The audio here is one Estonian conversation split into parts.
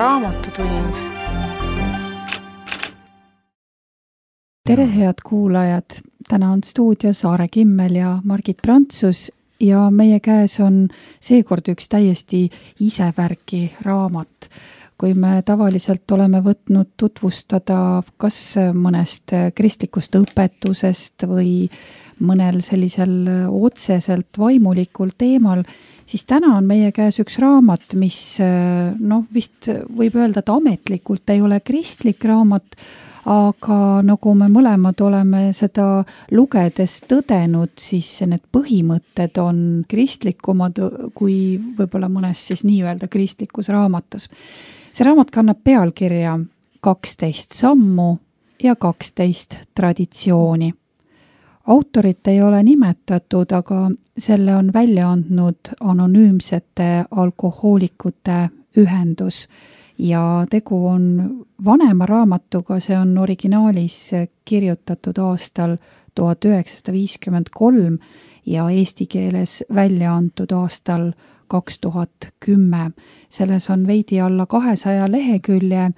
Raamatutund. Tere, head kuulajad! Täna on stuudios Aare Kimmel ja Margit Prantsus ja meie käes on seekord üks täiesti isevärki raamat. Kui me tavaliselt oleme võtnud tutvustada kas mõnest kristlikust õpetusest või mõnel sellisel otseselt vaimulikul teemal, siis täna on meie käes üks raamat, mis vist võib öelda, et ametlikult ei ole kristlik raamat, aga nagu me mõlemad oleme seda lugedes tõdenud, siis need põhimõtted on kristlikumad kui võib-olla mõnes siis nii-öelda kristlikus raamatus. See raamat kannab pealkirja 12 sammu ja 12 traditsiooni. Autorit ei ole nimetatud, aga selle on välja andnud anonüümsete alkohoolikute ühendus ja tegu on vanema raamatuga, see on originaalis kirjutatud aastal 1953 ja eesti keeles välja antud aastal 2010. Selles on veidi alla 200 lehekülje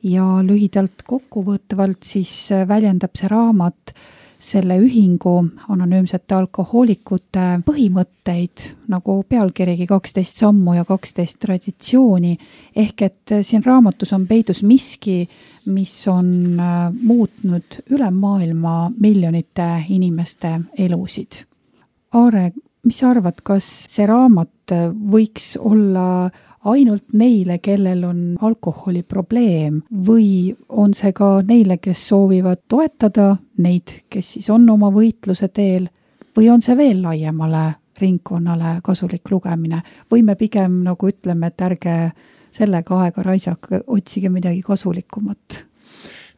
ja lühidalt kokkuvõtvalt siis väljendab see raamat selle ühingu anonüümsete alkohoolikute põhimõtteid, nagu pealkirigi 12 sammu ja 12 traditsiooni, ehk et siin raamatus on peidus miski, mis on muutnud üle maailma miljonite inimeste elusid. Aare, mis sa arvad, kas see raamat võiks olla ainult neile, kellel on alkoholiprobleem või on see ka neile, kes soovivad toetada neid, kes siis on oma võitluse teel või on see veel laiemale ringkonnale kasulik lugemine või me pigem nagu ütleme, et ärge sellega aega raisake, otsige midagi kasulikumat.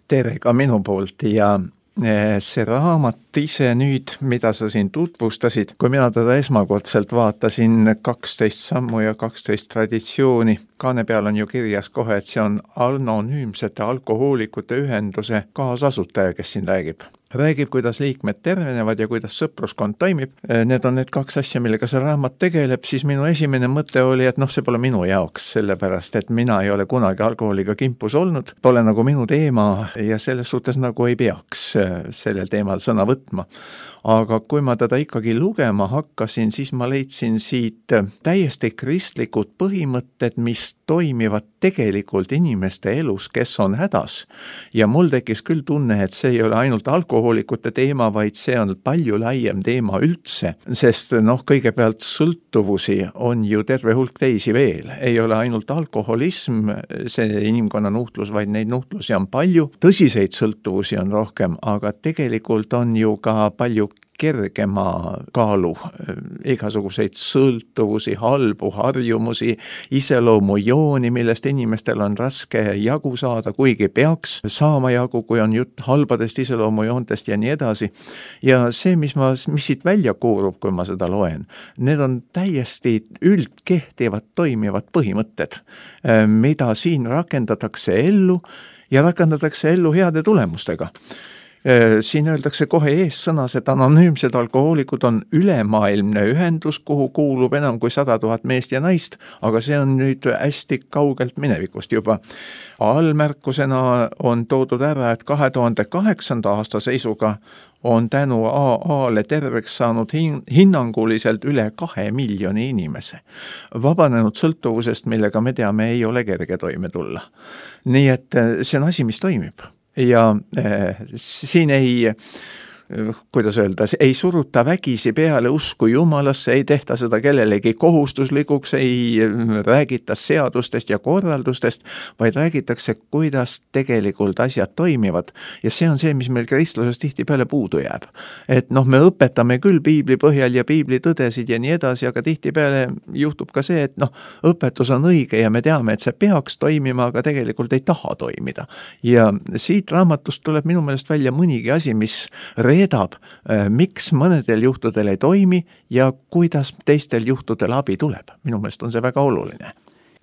Tere ka minu poolt ja see raamat ise nüüd, mida sa siin tutvustasid, kui mina teda esmakordselt vaatasin 12 sammu ja 12 traditsiooni, kaane peal on ju kirjas kohe, et see on anonüümsete alkohoolikute ühenduse kaasasutaja, kes siin räägib. Räägib, kuidas liikmed tervenevad ja kuidas sõpruskond toimib. Need on need kaks asja, millega see raamat tegeleb, siis minu esimene mõte oli, et see pole minu jaoks, sellepärast, et mina ei ole kunagi alkoholiga kimpus olnud, pole nagu minu teema ja selles suhtes nagu ei peaks sellel teemal sõna võtma. Aga kui ma teda ikkagi lugema hakkasin, siis ma leidsin siit täiesti kristlikud põhimõtted, mis toimivad tegelikult inimeste elus, kes on hädas. Ja mul tekkis küll tunne, et see ei ole ainult alkohoolikute teema, vaid see on palju laiem teema üldse, sest kõigepealt sõltuvusi on ju terve hulk teisi veel. Ei ole ainult alkoholism, see inimkonna nuhtlus, vaid neid nuhtlusi on palju. Tõsiseid sõltuvusi on rohkem, aga tegelikult on ju ka palju kergema kaalu, igasuguseid sõltuvusi, halbu harjumusi, iseloomujooni, millest inimestel on raske jagu saada, kuigi peaks saama jagu, kui on jutt halbadest iseloomujoontest ja nii edasi. Ja see, mis siit välja koorub, kui ma seda loen, need on täiesti üldkehtivad toimivad põhimõtted, mida siin rakendatakse ellu ja rakendatakse ellu heade tulemustega. Siin öeldakse kohe eessõnas, et anonüümsed alkohoolikud on ülemaailmne ühendus, kuhu kuulub enam kui 100 000 meest ja naist, aga see on nüüd hästi kaugelt minevikust juba. Allmärkusena on toodud ära, et 2008. aasta seisuga on tänu AA-le terveks saanud hinnanguliselt üle 2 miljoni inimese. Vabanenud sõltuvusest, millega me teame, ei ole kerge toime tulla. Nii et see on asi, mis toimib. Ja siin ei suruta vägisi peale usku Jumalasse, ei tehta seda kellelegi kohustuslikuks, ei räägita seadustest ja korraldustest, vaid räägitakse, kuidas tegelikult asjad toimivad. Ja see on see, mis meil kristluses tihtipeale puudu jääb. Et me õpetame küll piibli põhjal ja piibli tõdesid ja nii edasi, aga tihtipeale juhtub ka see, et õpetus on õige ja me teame, et see peaks toimima, aga tegelikult ei taha toimida. Ja siit raamatust tuleb minu meelest välja mõnigi asi, mis reedab, miks mõnedel juhtudel ei toimi ja kuidas teistel juhtudel abi tuleb. Minu meelest on see väga oluline.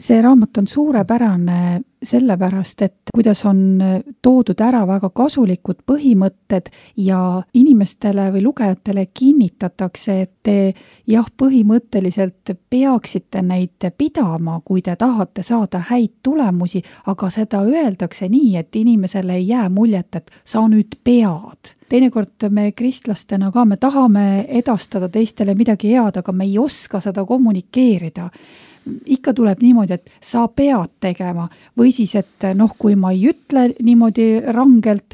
see raamat on suurepärane sellepärast, et kuidas on toodud ära väga kasulikud põhimõtted ja inimestele või lugejatele kinnitatakse, et te põhimõtteliselt peaksite neid pidama, kui te tahate saada häid tulemusi, aga seda öeldakse nii, et inimesele ei jää muljet, et sa nüüd pead. Teinekord me kristlastena ka, me tahame edastada teistele midagi head, aga me ei oska seda kommunikeerida. Ikka tuleb niimoodi, et sa pead tegema või siis, et kui ma ei ütle niimoodi rangelt,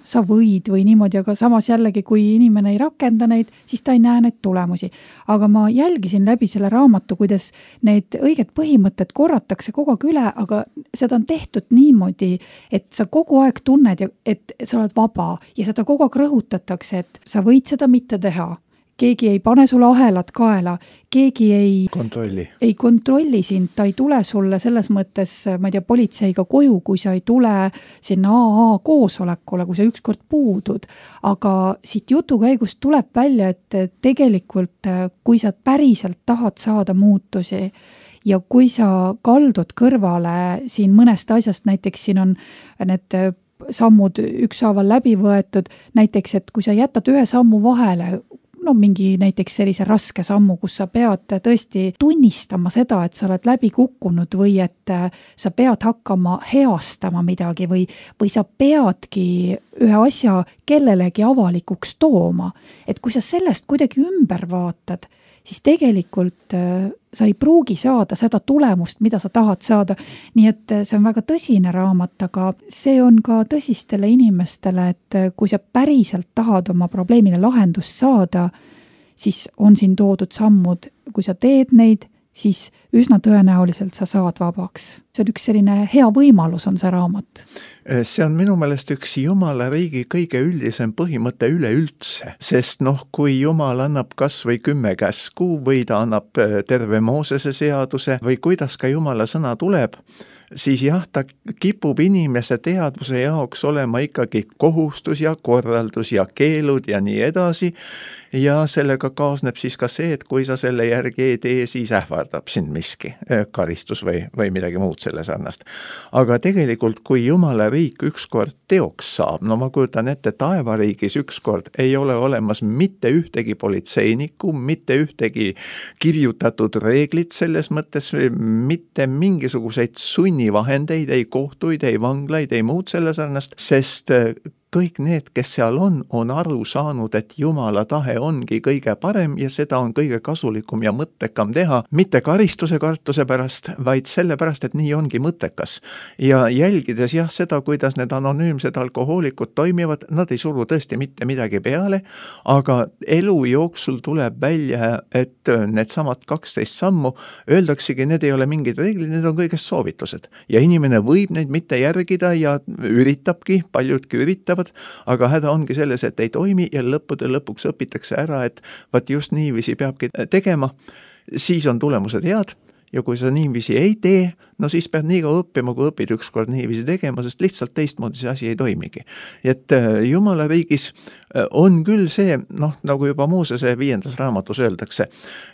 sa võid või niimoodi, aga samas jällegi, kui inimene ei rakenda neid, siis ta ei näe neid tulemusi. Aga ma jälgisin läbi selle raamatu, kuidas need õiged põhimõtted korratakse kogu aeg üle, aga seda on tehtud niimoodi, et sa kogu aeg tunned, et sa oled vaba ja seda kogu aeg rõhutatakse, et sa võid seda mitte teha. Keegi ei pane sulle ahelat kaela, keegi ei kontrolli sind, ta ei tule sulle selles mõttes, ma ei tea, politseiga koju, kui sa ei tule sinna AA koosolekule, kui sa ükskord puudud. Aga siit jutu käigust tuleb välja, et tegelikult, kui sa päriselt tahad saada muutusi ja kui sa kaldud kõrvale siin mõnest asjast, näiteks siin on need sammud ükshaaval läbi võetud, näiteks, et kui sa jätad ühe sammu vahele, mingi näiteks sellise raske sammu, kus sa pead tõesti tunnistama seda, et sa oled läbi kukkunud või et sa pead hakkama heastama midagi või sa peadki ühe asja kellelegi avalikuks tooma. Et kui sa sellest kuidagi ümber vaatad, siis tegelikult sa ei pruugi saada seda tulemust, mida sa tahad saada. Nii et see on väga tõsine raamat, aga see on ka tõsistele inimestele, et kui sa päriselt tahad oma probleemile lahendust saada, siis on siin toodud sammud. Kui sa teed neid, siis üsna tõenäoliselt sa saad vabaks. See on üks selline hea võimalus on see raamat. See on minu meelest üks Jumala riigi kõige üldisem põhimõte üleüldse, sest kui Jumal annab kas või 10 käsku või ta annab terve Moosese seaduse või kuidas ka Jumala sõna tuleb, siis ta kipub inimese teadvuse jaoks olema ikkagi kohustus ja korraldus ja keelud ja nii edasi. Ja sellega kaasneb siis ka see, et kui sa selle järgi ei tee, siis ähvardab sind miski, karistus või midagi muud selle sarnast. Aga tegelikult, kui Jumala riik ükskord teoks saab, ma kujutan ette, taevariigis ükskord ei ole olemas mitte ühtegi politseinikku, mitte ühtegi kirjutatud reeglit selles mõttes, mitte mingisuguseid sunnivahendeid, ei kohtuid, ei vanglaid, ei muud selle sarnast, sest kõik need, kes seal on aru saanud, et Jumala tahe ongi kõige parem ja seda on kõige kasulikum ja mõttekam teha, mitte karistuse kartuse pärast, vaid selle pärast, et nii ongi mõttekas. Ja jälgides seda, kuidas need anonüümsed alkohoolikud toimivad, nad ei suru tõesti mitte midagi peale, aga elu jooksul tuleb välja, et need samad 12 sammu, öeldaksegi, need ei ole mingid reeglid, need on kõigest soovitused. Ja inimene võib neid mitte järgida ja üritabki, paljudki üritavad, aga häda ongi selles, et ei toimi ja lõpuks õpitakse ära, et vaat just niiviisi peabki tegema, siis on tulemused head ja kui sa niiviisi ei tee, siis pead nii kaua õppima, kui õpid ükskord niiviisi tegema, sest lihtsalt teistmoodi see asi ei toimigi. Et Jumala riigis on küll see, nagu juba Moosese 5. raamatus öeldakse,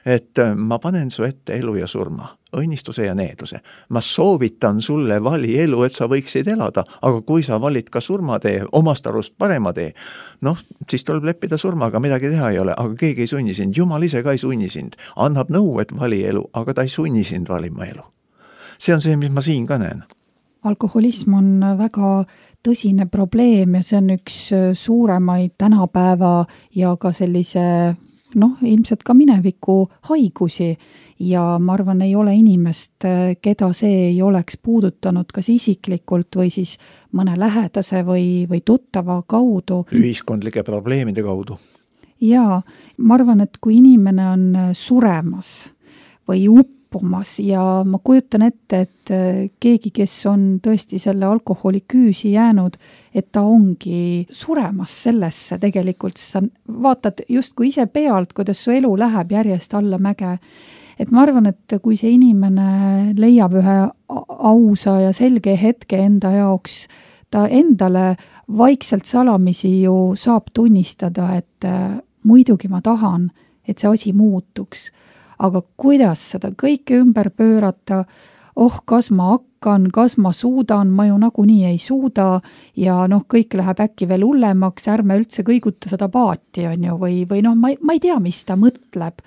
et ma panen su ette elu ja surma, õnnistuse ja needuse. Ma soovitan sulle vali elu, et sa võiksid elada, aga kui sa valid ka surmatee, omast arust parema tee, siis tuleb leppida surmaga, midagi teha ei ole, aga keegi ei sunni sind, Jumal ise ka ei sunni sind, annab nõu, et vali elu, aga ta ei sunni sind valima elu. See on see, mis ma siin ka näen. Alkoholism on väga tõsine probleem ja see on üks suuremaid tänapäeva ja ka sellise, ilmselt ka mineviku haigusi ja ma arvan, ei ole inimest, keda see ei oleks puudutanud kas isiklikult või siis mõne lähedase või tuttava kaudu. Ühiskondlike probleemide kaudu. Ja ma arvan, et kui inimene on suremas või uppumas ja ma kujutan ette, et keegi, kes on tõesti selle alkoholi küüsi jäänud, et ta ongi suremas sellesse tegelikult, sa vaatad justkui ise pealt, kuidas su elu läheb järjest alla mäge. Et ma arvan, et kui see inimene leiab ühe ausa ja selge hetke enda jaoks, ta endale vaikselt salamisi ju saab tunnistada, et muidugi ma tahan, et see asi muutuks. Aga kuidas seda kõike ümber pöörata, kas ma hakkan, kas ma suudan, ma ju nagunii ei suuda ja kõik läheb äkki veel hullemaks, ärme üldse kõiguta seda paati, on ju, või ma ei tea, mis ta mõtleb.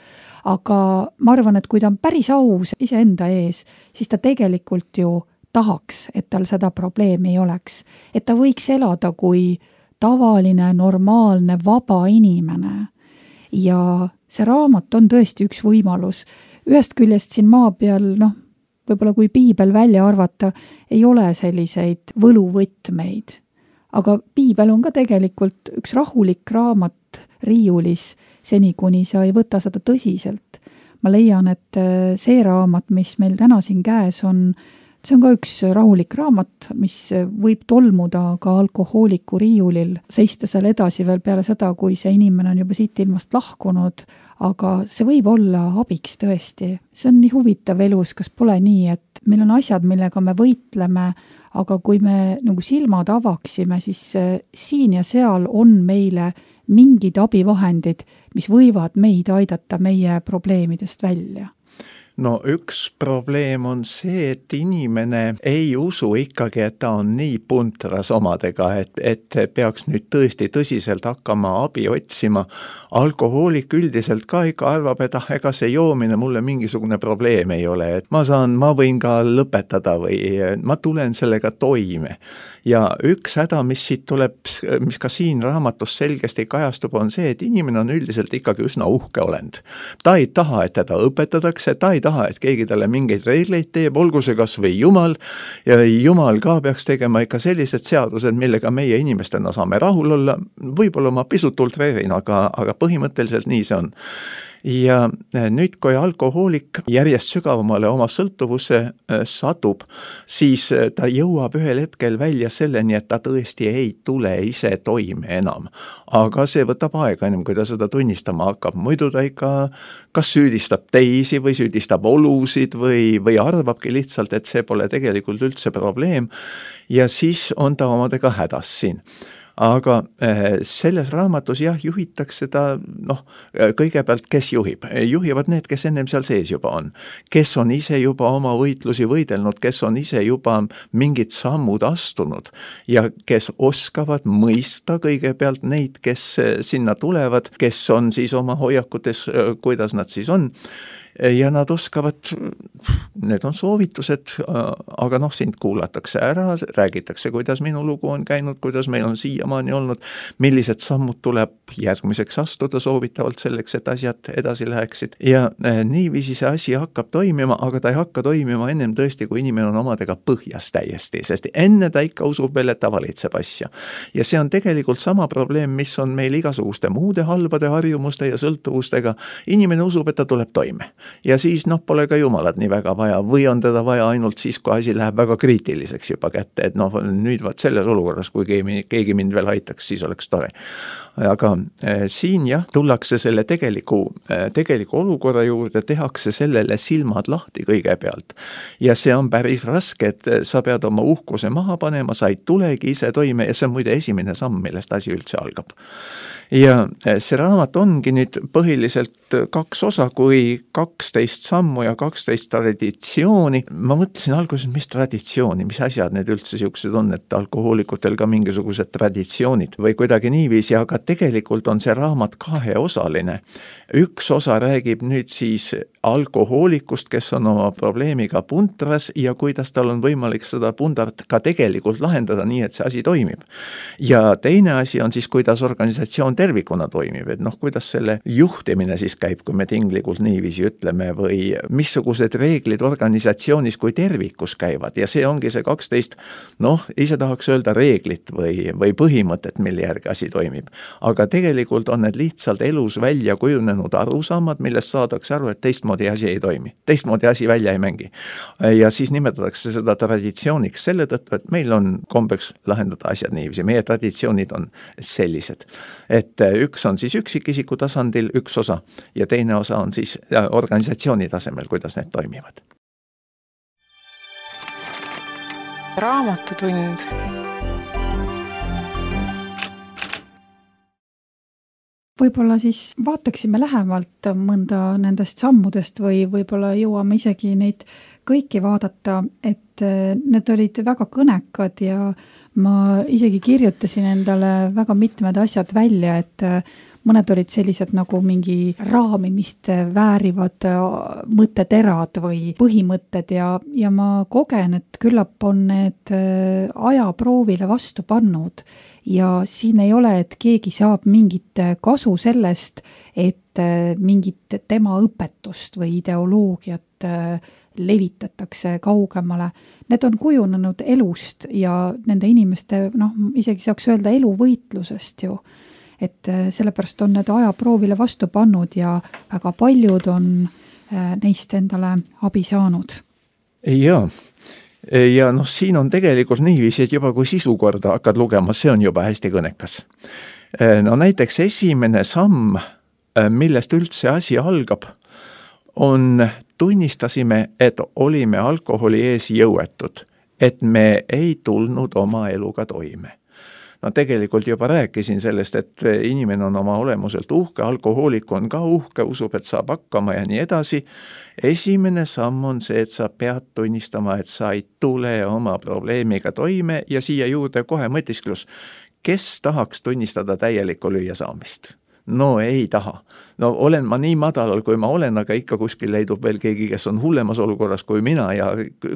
Aga ma arvan, et kui ta on päris aus iseenda ees, siis ta tegelikult ju tahaks, et tal seda probleemi ei oleks. Et ta võiks elada kui tavaline, normaalne, vaba inimene. Ja see raamat on tõesti üks võimalus. Ühest küljest siin maa peal, võib-olla kui piibel välja arvata, ei ole selliseid võluvõtmeid. Aga piibel on ka tegelikult üks rahulik raamat riiulis, seni kuni sa ei võta seda tõsiselt. Ma leian, et see raamat, mis meil täna siin käes on, see on ka üks rahulik raamat, mis võib tolmuda ka alkohooliku riiulil, seista seal edasi veel peale seda, kui see inimene on juba siit ilmast lahkunud, aga see võib olla abiks tõesti. See on nii huvitav elus, kas pole nii, et meil on asjad, millega me võitleme, aga kui me nagu silmad avaksime, siis siin ja seal on meile mingid abivahendid, mis võivad meid aidata meie probleemidest välja. No üks probleem on see, et inimene ei usu ikkagi, et ta on nii puntras omadega, et peaks nüüd tõesti tõsiselt hakkama abi otsima. Alkohoolik üldiselt ka ikka arvab, et ega see joomine mulle mingisugune probleem ei ole, et ma võin ka lõpetada või ma tulen sellega toime. Ja üks häda, mis siit tuleb, mis ka siin raamatus selgesti kajastub, on see, et inimene on üldiselt ikkagi üsna uhke olend. Ta ei taha, et teda õpetatakse, ta ei taha, et keegi talle mingeid reegleid teeb, olgu see kas või Jumal, ja Jumal ka peaks tegema ikka sellised seadused, millega meie inimestena saame rahul olla, võib-olla ma pisut ultreerin, aga põhimõtteliselt nii see on. Ja nüüd, kui alkohoolik järjest sügavamale oma sõltuvusse satub, siis ta jõuab ühel hetkel välja selleni, et ta tõesti ei tule ise toime enam. Aga see võtab aega ennem, kui ta seda tunnistama hakkab. Muidu ta ikka kas süüdistab teisi või süüdistab olusid või arvabki lihtsalt, et see pole tegelikult üldse probleem ja siis on ta omadega hädas siin. Aga selles raamatus juhitakse ta, kõigepealt kes juhib? Juhivad need, kes ennem seal sees juba on. Kes on ise juba oma võitlusi võidelnud, kes on ise juba mingid sammud astunud ja kes oskavad mõista kõigepealt neid, kes sinna tulevad, kes on siis oma hoiakutes, kuidas nad siis on. Ja nad oskavad, need on soovitused, aga sind kuulatakse ära, räägitakse, kuidas minu lugu on käinud, kuidas meil on siiamaani olnud, millised sammud tuleb järgmiseks astuda soovitavalt selleks, et asjad edasi läheksid. Ja niiviisi see asi hakkab toimima, aga ta ei hakka toimima ennem tõesti, kui inimene on omadega põhjas täiesti, sest enne ta ikka usub veel, et ta valitseb asja. Ja see on tegelikult sama probleem, mis on meil igasuguste muude halbade harjumuste ja sõltuvustega. Inimene usub, et ta tuleb toime. Ja siis pole ka Jumalat nii väga vaja või on teda vaja ainult siis, kui asi läheb väga kriitiliseks juba kätte, et nüüd selles olukorras, kui keegi mind veel aitaks, siis oleks tore. Aga siin tullakse selle tegeliku olukorra juurde, tehakse sellele silmad lahti kõigepealt. Ja see on päris raske, et sa pead oma uhkuse maha panema, sa ei tulegi ise toime ja see on muide esimene samm, millest asi üldse algab. Ja see raamat ongi nüüd põhiliselt 2 osa, kui 12 sammu ja 12 traditsiooni. Ma mõtlesin alguses, mis traditsiooni, mis asjad need üldse siuksed on, et alkohoolikutel ka mingisugused traditsioonid või kuidagi niiviisi, aga tegelikult on see raamat 2-osaline. Üks osa räägib nüüd siis alkohoolikust, kes on oma probleemiga puntras ja kuidas tal on võimalik seda pundart ka tegelikult lahendada nii, et see asi toimib. Ja teine asi on siis, kuidas organisatsioon tervikuna toimib, et kuidas selle juhtimine siis käib, kui me tinglikult niiviisi ütleme või missugused reeglid organisatsioonis kui tervikus käivad ja see ongi see 12, ise tahaks öelda reeglit või põhimõtet, mille järgi asi toimib. Aga tegelikult on need lihtsalt elus välja kujunenud arusaamad, millest saadakse aru, et teistmoodi asi ei toimi. Teistmoodi asi välja ei mängi. Ja siis nimetatakse seda traditsiooniks selle tõttu, et meil on kombeks lahendada asjad niiviisi. Meie traditsioonid on sellised. Et üks on siis üksikisiku tasandil üks osa ja teine osa on siis organisatsiooni tasemel, kuidas need toimivad. Raamatutund. Võib-olla siis vaataksime lähemalt mõnda nendest sammudest või võib-olla jõuame isegi neid kõiki vaadata, et need olid väga kõnekad ja ma isegi kirjutasin endale väga mitmed asjad välja, et mõned olid sellised nagu mingi raamimist väärivad mõtteterad või põhimõtted ja ma kogen, et küllap on need ajaproovile vastu pannud. Ja siin ei ole, et keegi saab mingit kasu sellest, et mingit tema õpetust või ideoloogiat levitatakse kaugemale. Need on kujunenud elust ja nende inimeste, isegi saaks öelda eluvõitlusest ju. Et sellepärast on need ajaproovile vastu pannud ja väga paljud on neist endale abi saanud. Jaa. Ja siin on tegelikult niiviisi, et juba kui sisu korda hakkad lugema, see on juba hästi kõnekas. Näiteks esimene samm, millest üldse asi algab, tunnistasime, et olime alkoholi ees jõuetud, et me ei tulnud oma eluga toime. Tegelikult juba rääkisin sellest, et inimene on oma olemuselt uhke, alkohoolik on ka uhke, usub, et saab hakkama ja nii edasi. Esimene samm on see, et sa pead tunnistama, et sa ei tule oma probleemiga toime ja siia juurde kohe mõtisklus. Kes tahaks tunnistada täielikku lüüa saamist? No ei taha. Olen ma nii madalal, kui ma olen, aga ikka kuskil leidub veel keegi, kes on hullemas olukorras kui mina ja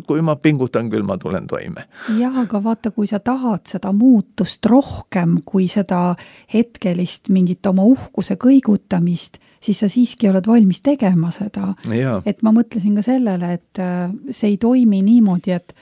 kui ma pingutan, küll ma tulen toime. Jah, aga vaata, kui sa tahad seda muutust rohkem kui seda hetkelist mingit oma uhkuse kõigutamist, siis sa siiski oled valmis tegema seda. Ja. Et ma mõtlesin ka sellele, et see ei toimi niimoodi, et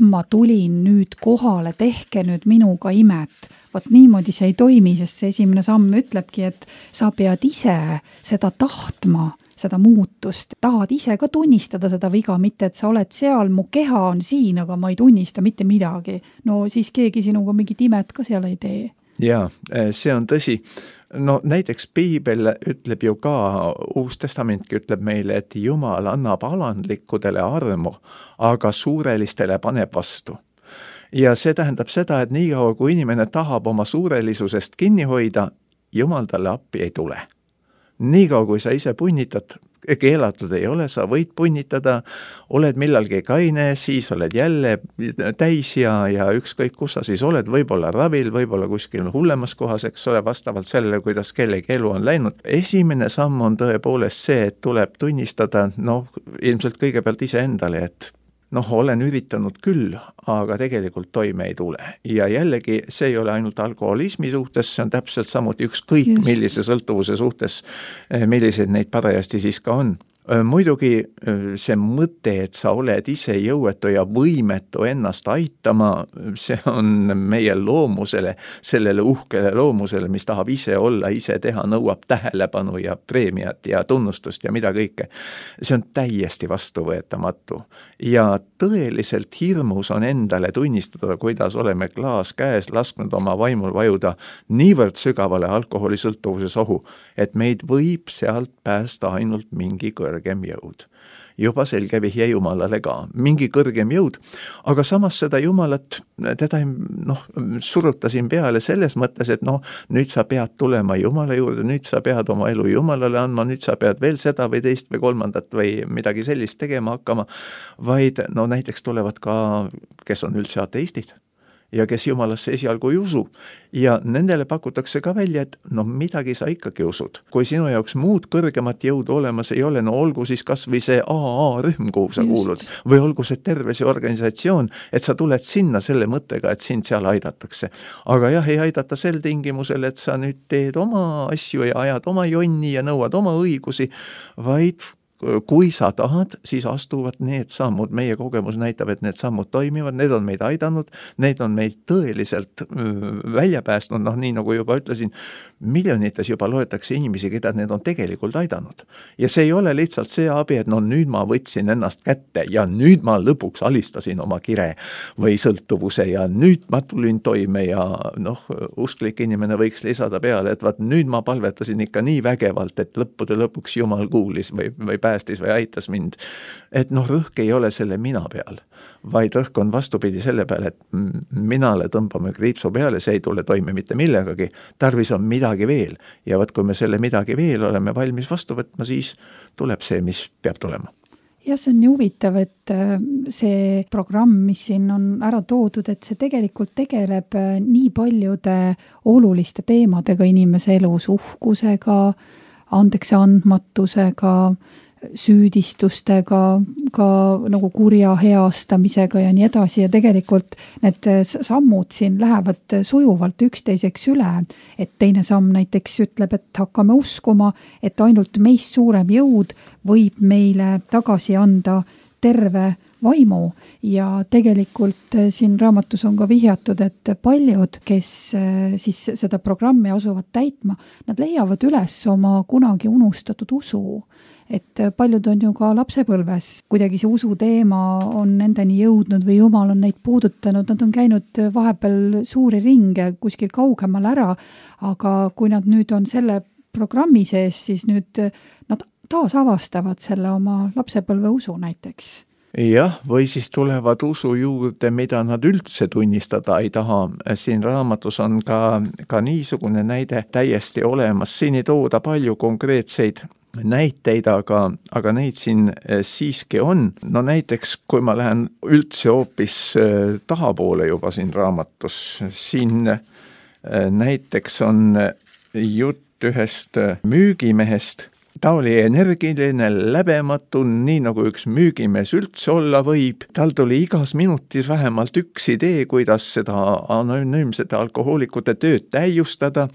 ma tulin nüüd kohale, tehke nüüd minuga imet. Vot niimoodi see ei toimi, sest see esimene samm ütlebki, et sa pead ise seda tahtma, seda muutust. Tahad ise ka tunnistada seda viga, mitte et sa oled seal, mu keha on siin, aga ma ei tunnista mitte midagi. No siis keegi sinuga mingit imet ka seal ei tee. Jaa, see on tõsi. Näiteks Piibel ütleb ju ka, Uus Testamentki ütleb meile, et Jumal annab alandlikudele armu, aga suurelistele paneb vastu. Ja see tähendab seda, et nii kaua, kui inimene tahab oma suurelisusest kinni hoida, Jumal talle appi ei tule. Nii kaua, kui sa ise punnitad, keelatud ei ole, sa võid punnitada, oled millalgi kaine, siis oled jälle täis ja ükskõik kus sa siis oled, võib-olla ravil, võib-olla kuskil hullemas kohas, eks ole, vastavalt sellele, kuidas kellegi elu on läinud. Esimene samm on tõepoolest see, et tuleb tunnistada, ilmselt kõigepealt ise endale, et olen üritanud küll, aga tegelikult toime ei tule. Ja jällegi, see ei ole ainult alkoholismi suhtes, see on täpselt samuti ükskõik millise sõltuvuse suhtes, millised neid parajasti siis ka on. Muidugi see mõte, et sa oled ise jõuetu ja võimetu ennast aitama, see on meie loomusele, sellele uhkele loomusele, mis tahab ise olla, ise teha, nõuab tähelepanu ja preemiat ja tunnustust ja mida kõike. See on täiesti vastuvõetamatu. Ja tõeliselt hirmus on endale tunnistada, kuidas oleme klaas käes lasknud oma vaimul vajuda niivõrd sügavale alkoholisõltuvuses ohu, et meid võib sealt päästa ainult mingi kõrgem jõud. Juba selge vihje Jumalale ka, mingi kõrgem jõud, aga samas seda Jumalat, teda surutasin peale selles mõttes, et nüüd sa pead tulema Jumala juurde, nüüd sa pead oma elu Jumalale andma, nüüd sa pead veel seda või teist või kolmandat või midagi sellist tegema hakkama, vaid näiteks tulevad ka, kes on üldse ateistid ja kes Jumalasse esialgu ei usu. Ja nendele pakutakse ka välja, et midagi sa ikkagi usud. Kui sinu jaoks muud kõrgemat jõudu olemas ei ole, olgu siis kas või see AA-rühm, kuhu sa kuulud, või olgu see terve see organisatsioon, et sa tuled sinna selle mõttega, et sind seal aidatakse. Aga jah, ei aidata sel tingimusel, et sa nüüd teed oma asju ja ajad oma jonni ja nõuad oma õigusi, vaid kui sa tahad, siis astuvad need sammud. Meie kogemus näitab, et need sammud toimivad, need on meid aidanud, need on meid tõeliselt välja päästnud, nii nagu juba ütlesin, miljonites juba loetakse inimesi, keda need on tegelikult aidanud. Ja see ei ole lihtsalt see abi, et nüüd ma võtsin ennast kätte ja nüüd ma lõpuks alistasin oma kire või sõltuvuse ja nüüd ma tulin toime ja usklik inimene võiks lisada peale, et nüüd ma palvetasin ikka nii vägevalt, et lõppude lõpuks Jumal kuulis või päästis või aitas mind. Et noh, rõhk ei ole selle mina peal, vaid rõhk on vastupidi selle peale, et minale tõmbame kriipsu peale, see ei tule toime mitte millegagi, tarvis on midagi veel. Ja võt, kui me selle midagi veel oleme valmis vastu võtma, siis tuleb see, mis peab tulema. Ja see on nii huvitav, et see programm, mis siin on ära toodud, et see tegelikult tegeleb nii paljude oluliste teemadega inimese elus, uhkusega, andeks andmatusega, süüdistustega, ka nagu kurja heastamisega ja nii edasi ja tegelikult need sammud siin lähevad sujuvalt üksteiseks üle, et teine samm näiteks ütleb, et hakkame uskuma, et ainult meist suurem jõud võib meile tagasi anda terve vaimu ja tegelikult siin raamatus on ka vihjatud, et paljud, kes siis seda programmi asuvad täitma, nad leiavad üles oma kunagi unustatud usu. Et paljud on ju ka lapsepõlves, kuidagi see usu teema on nendeni jõudnud või Jumal on neid puudutanud, nad on käinud vahepeal suuri ringe kuskil kaugemal ära, aga kui nad nüüd on selle programmi sees, siis nüüd nad taas avastavad selle oma lapsepõlve usu näiteks. Jah, või siis tulevad usu juurde, mida nad üldse tunnistada ei taha. Siin raamatus on ka niisugune näide täiesti olemas. Siin ei tooda palju konkreetseid näiteid, aga neid siin siiski on. No näiteks, kui ma lähen üldse hoopis tahapoole juba siin raamatus, siin näiteks on jutt ühest müügimehest. Ta oli energiline, läbematu, nii nagu üks müügimees üldse olla võib. Tal tuli igas minutis vähemalt üks idee, kuidas seda anonüümsete alkohoolikute tööd täiustada.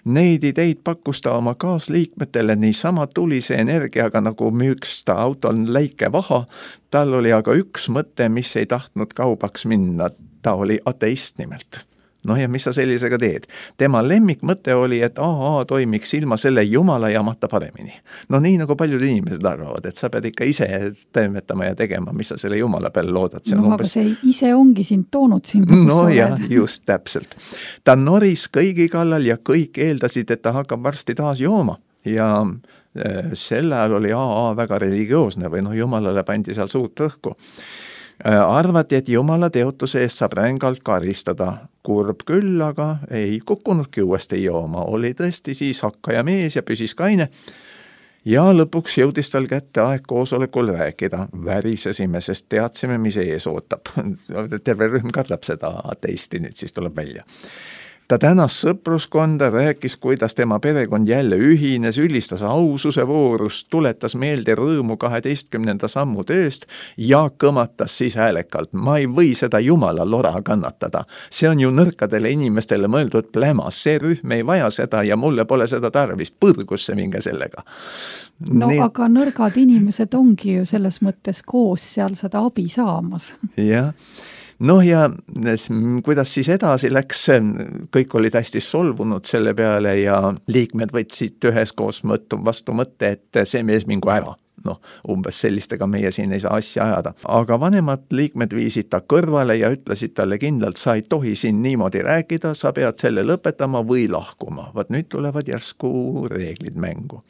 Neid ideid pakkus ta oma kaasliikmetele niisama tulise energiaga, nagu müüks ta autol läike vaha. Tal oli aga üks mõte, mis ei tahtnud kaubaks minna. Ta oli ateist nimelt. No ja mis sa sellisega teed? Tema lemmikmõte oli, et AA toimiks ilma selle jumala jamata paremini. No nii nagu paljud inimesed arvavad, et sa pead ikka ise toimetama ja tegema, mis sa selle jumala peale loodad. No aga see ise ongi sind toonud siin. No ja, just täpselt. Ta noris kõigi kallal ja kõik eeldasid, et ta hakkab varsti taas jooma. Ja sel ajal oli AA väga religioosne või jumalale pandi seal suurt rõhku. Arvati, et jumala teotuse eest saab rängalt karistada. Kurb küll, aga ei kukkunudki uuesti jooma. Oli tõesti siis hakkaja mees ja püsis kaine. Ja lõpuks jõudis tal kätte aeg koosolekul rääkida. Värisesime, sest teadsime, mis ees ootab. Terve rühm kardab seda ateisti, nüüd siis tuleb välja. Ta tänas sõpruskonda, rääkis, kuidas tema perekond jälle ühines, ülistas aususe voorust, tuletas meelde rõõmu 12. sammu tööst ja kõmatas siis häälekalt. Ma ei või seda jumala lora kannatada. See on ju nõrkadele inimestele mõeldud plämas. See rühm ei vaja seda ja mulle pole seda tarvis. Põrgusse minge sellega. No aga nõrgad inimesed ongi ju selles mõttes koos seal seda abi saamas. Jah. No ja kuidas siis edasi läks, kõik olid hästi solvunud selle peale ja liikmed võtsid üheskoos vastu mõtte, et see mees mingu ära. No, umbes sellistega meie siin ei saa asja ajada. Aga vanemad liikmed viisid ta kõrvale ja ütlesid talle kindlalt, sa ei tohi siin niimoodi rääkida, sa pead selle lõpetama või lahkuma. Vaat nüüd tulevad järsku reeglid mängu.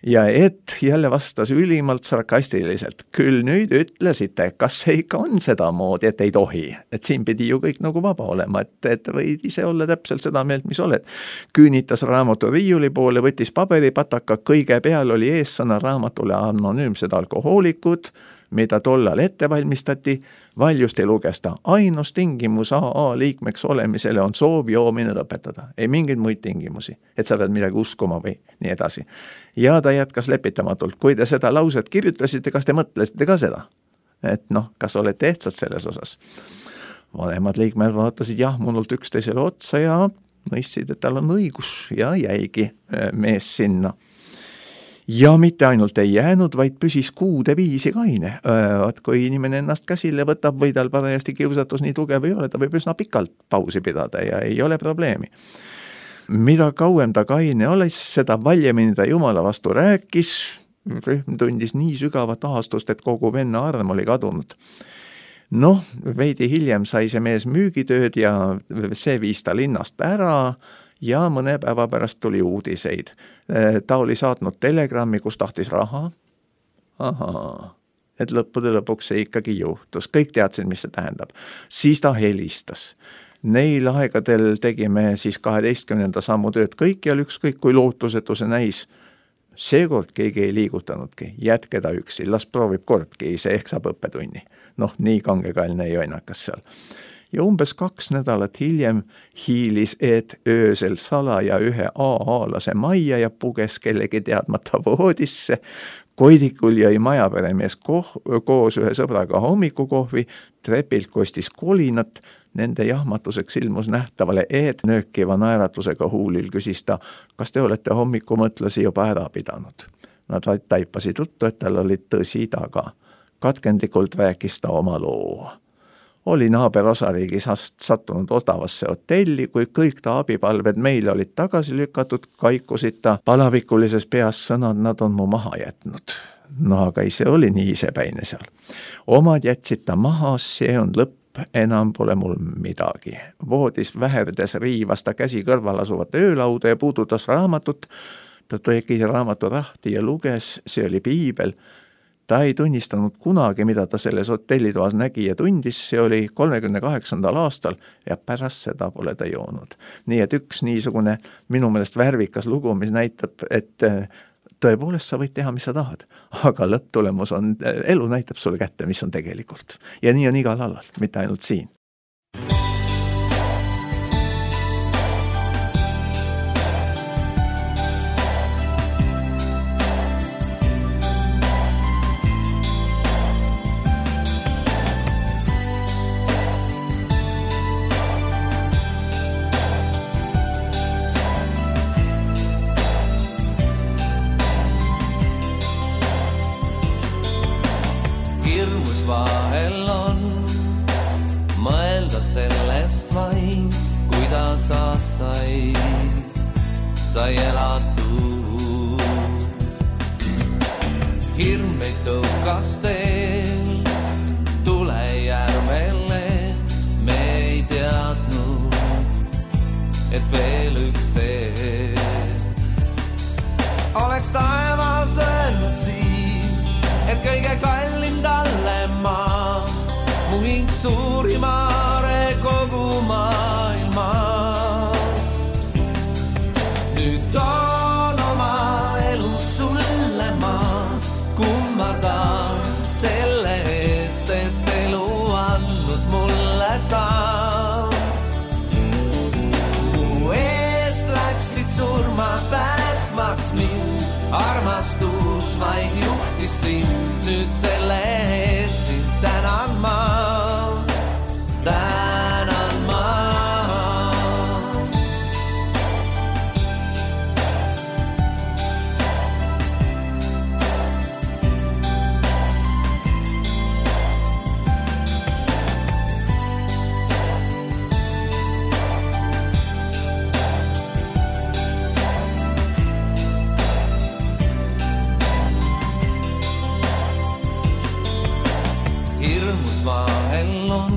Ja et jälle vastas ülimalt sarkastiliselt. Küll nüüd ütlesite, kas see ikka on seda moodi, et ei tohi. Et siin pidi ju kõik nagu vaba olema, et võid ise olla täpselt seda meelt, mis oled. Küünitas raamatu riiuli poole, võttis paberipataka, kõige peal oli eessõna raamatule anonüümsed alkohoolikud, mida tollal ette valmistati, valjusti luges ta. Ainus tingimus AA liikmeks olemisele on soov joomine lõpetada. Ei mingeid muid tingimusi, et sa pead midagi uskuma või nii edasi. Ja ta jätkas lepitamatult. Kui te seda lauset kirjutasite, kas te mõtlesite ka seda? Et kas olete ehtsad selles osas? Vanemad liikmed vaatasid munult üksteisele otsa ja mõistsid, et tal on õigus ja jäigi mees sinna. Ja mitte ainult ei jäänud, vaid püsis kuude viisi kaine. Kui inimene ennast käsile võtab või tal parajasti kiusatus nii tugev ei ole, ta võib üsna pikalt pausi pidada ja ei ole probleemi. Mida kauem ta kaine olis, seda valjemini ta jumala vastu rääkis. Rühm tundis nii sügavat ahastust, et kogu venna arm oli kadunud. Veidi hiljem sai see mees müügitööd ja see viis ta linnast ära. Ja mõne päeva pärast tuli uudiseid. Ta oli saatnud telegrammi, kus tahtis raha ahaa, et lõppude lõpuks see ikkagi juhtus. Kõik teadsid, mis see tähendab. Siis ta helistas. Neil aegadel tegime siis 12. sammu tööd kõikjal, ükskõik kui lootusetu see näis. Seekord keegi ei liigutanudki, jätke ta üksi, las proovib kordki, see ehk saab õppetunni. Noh, nii kangekaelne ei joinakas seal. Ja umbes 2 nädalat hiljem hiilis Eet öösel salaja ühe AA-lase majja ja puges kellegi teadmata voodisse. Koidikul jäi majaperemees koos ühe sõbraga hommikukohvi, trepilt kostis kolinat. Nende jahmatuseks ilmus nähtavale Eet nöökiva naeratusega huulil, küsis ta, kas te olete hommikumõtlasi juba ära pidanud. Nad taipasid juttu, et tal oli tõsi taga. Katkendlikult rääkis ta oma loo. Oli naaber osariigis sattunud odavasse hotelli, kui kõik ta abipalved meile olid tagasi lükatud, kaikusid ta palavikulises peas sõnad, nad on mu maha jätnud. No aga ise oli nii isepäine seal. Omad jätsid ta maha, see on lõpp. Enam pole mul midagi. Voodis väherdes riivas ta käsi kõrval asuvat öölauda ja puudutas raamatut. Ta tegi raamatu rahti ja luges, see oli piibel. Ta ei tunnistanud kunagi, mida ta selles hotellitoas nägi ja tundis, see oli 38. aastal ja pärast seda pole ta joonud. Nii et üks niisugune minu meelest värvikas lugu, mis näitab, et tõepoolest sa võid teha, mis sa tahad, aga lõpptulemus on, elu näitab sulle kätte, mis on tegelikult. Ja nii on igal alal, mitte ainult siin. Sai elatud. Hirm meid tõukas teel tulejärvele, me ei teadnud, et veel üks tee. Oleks taevas öelnud siis, et kõige kallim talle maa, mu hing suurimare kogu maailmas. Nüüd on oma elu sulle ma kummardan selle eest, et elu andnud mulle saa. Mu eest läksid surma päästmaks mind, armastus vaid juhtis sind, nüüd selle eest sind tänan ma. Tänan ma. Hirmus vahel on,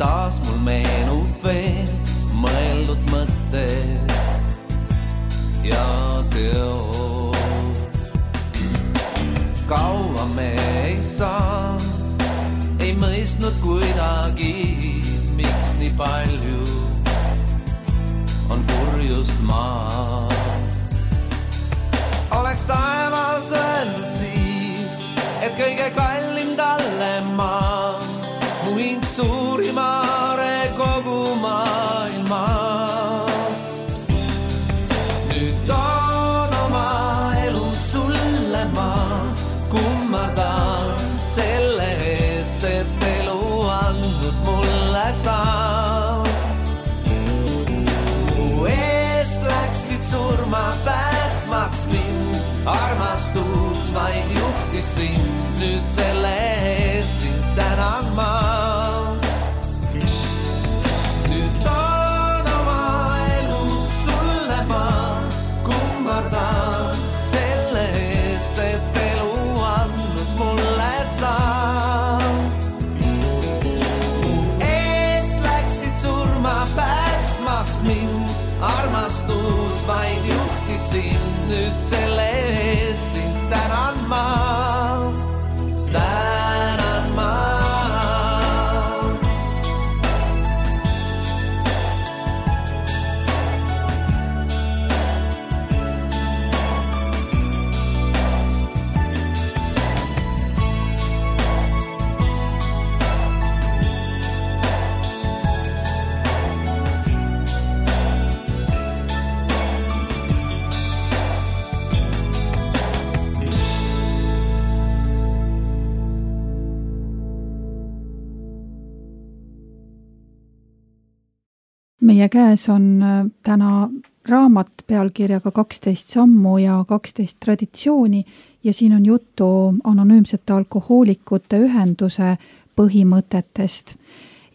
taas mul meenub veel mõeldud mõtted ja teod. Kaua me ei saanud, ei mõistnud kuidagi, miks nii palju on kurjust maa. Oleks taevas öelnud siis, et kõige kallim talle maa, mu hing suurimare kogu maailmas. Nüüd on oma elu sulle ma kummardan selle eest, et elu andnud mulle saa. Mu eest läksid surma päästmaks mind, armastus vaid juhtis sind, nüüd selle eest sind tänan ma. Nüüd on oma elu sulle ma kummardan selle eest, et elu andnud mulle saa. Mu eest läksid surma päästmaks mind, armastus vaid juhtis sind, nüüd selle eest sind tänan ma. meie käes on täna raamat pealkirjaga 12 sammu ja 12 traditsiooni ja siin on juttu anonüümsete alkohoolikute ühenduse põhimõtetest.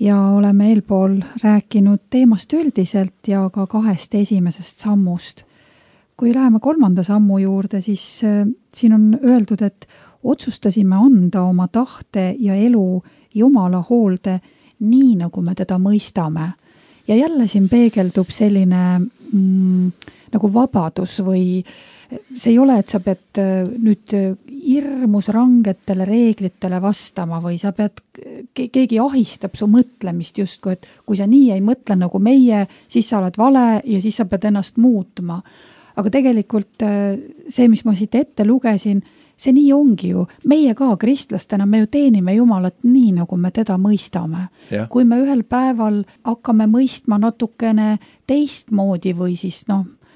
Ja oleme eelpool rääkinud teemast üldiselt ja ka 2 esimesest sammust. Kui läheme 3. sammu juurde, siis siin on öeldud, et otsustasime anda oma tahte ja elu Jumala hoolde nii, nagu me teda mõistame. Ja jälle siin peegeldub selline nagu vabadus või see ei ole, et sa pead nüüd hirmus rangetele reeglitele vastama või sa pead, keegi ahistab su mõtlemist justkui, et kui sa nii ei mõtle nagu meie, siis sa oled vale ja siis sa pead ennast muutma. Aga tegelikult see, mis ma siit ette lugesin, see nii ongi ju. Meie ka kristlastena, me ju teenime Jumalat nii, nagu me teda mõistame. Ja. Kui me ühel päeval hakkame mõistma natukene teistmoodi või siis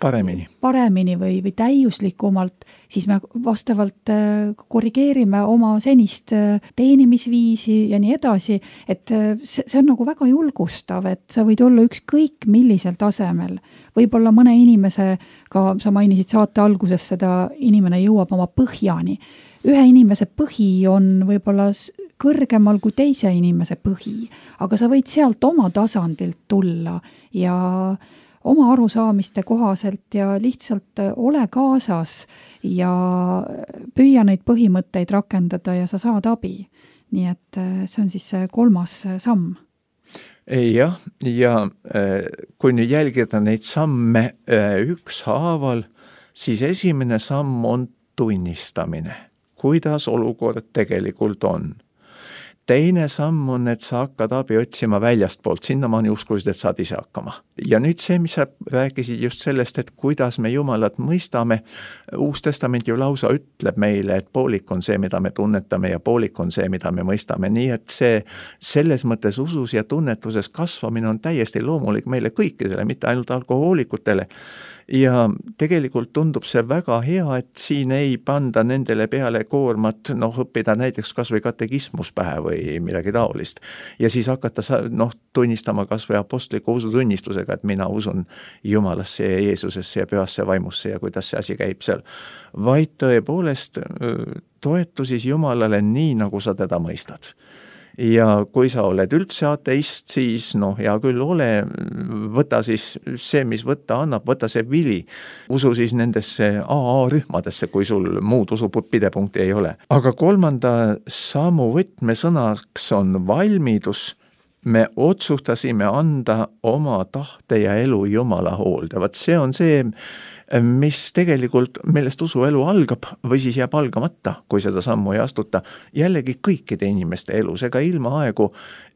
paremini või täiuslikumalt, siis me vastavalt korrigeerime oma senist teenimisviisi ja nii edasi, et see on nagu väga julgustav, et sa võid olla ükskõik millisel tasemel. Võib-olla mõne inimese, ka sa mainisid saate alguses seda, inimene jõuab oma põhjani. Ühe inimese põhi on võib-olla kõrgemal kui teise inimese põhi, aga sa võid sealt oma tasandilt tulla ja oma arusaamiste kohaselt ja lihtsalt ole kaasas ja püüa neid põhimõtteid rakendada ja sa saad abi. Nii et see on siis 3. samm. Jah, ja kui nüüd jälgida neid samme ükshaaval, siis esimene samm on tunnistamine, kuidas olukord tegelikult on. Teine samm on, et sa hakkad abi otsima väljastpoolt, sinnamaani uskusid, et saad ise hakkama. Ja nüüd see, mis sa rääkisid just sellest, et kuidas me Jumalat mõistame, Uus Testament ju lausa ütleb meile, et poolik on see, mida me tunnetame ja poolik on see, mida me mõistame. Nii et see selles mõttes usus ja tunnetuses kasvamine on täiesti loomulik meile kõikidele, mitte ainult alkohoolikutele. Ja tegelikult tundub see väga hea, et siin ei panda nendele peale koormat, õppida näiteks kas või katekismus pähe või midagi taolist. Ja siis hakata tunnistama kas või apostliku usutunnistusega, et mina usun Jumalasse ja Jeesusesse ja pühasse vaimusse ja kuidas see asi käib seal. Vaid tõepoolest toetu siis Jumalale nii, nagu sa teda mõistad. Ja kui sa oled üldse ateist, siis hea küll ole, võta siis see, mis võtta annab, võta see vili. Usu siis nendesse AA-rühmadesse, kui sul muud usupidepunkti ei ole. Aga 3. sammu võtmesõnaks on valmidus. Me otsustasime anda oma tahte ja elu Jumala hoolde. Vaat see on see, mis tegelikult millest usuelu algab või siis jääb algamata, kui seda sammu ei astuta. Jällegi kõikide inimeste elus, ega ilma aegu,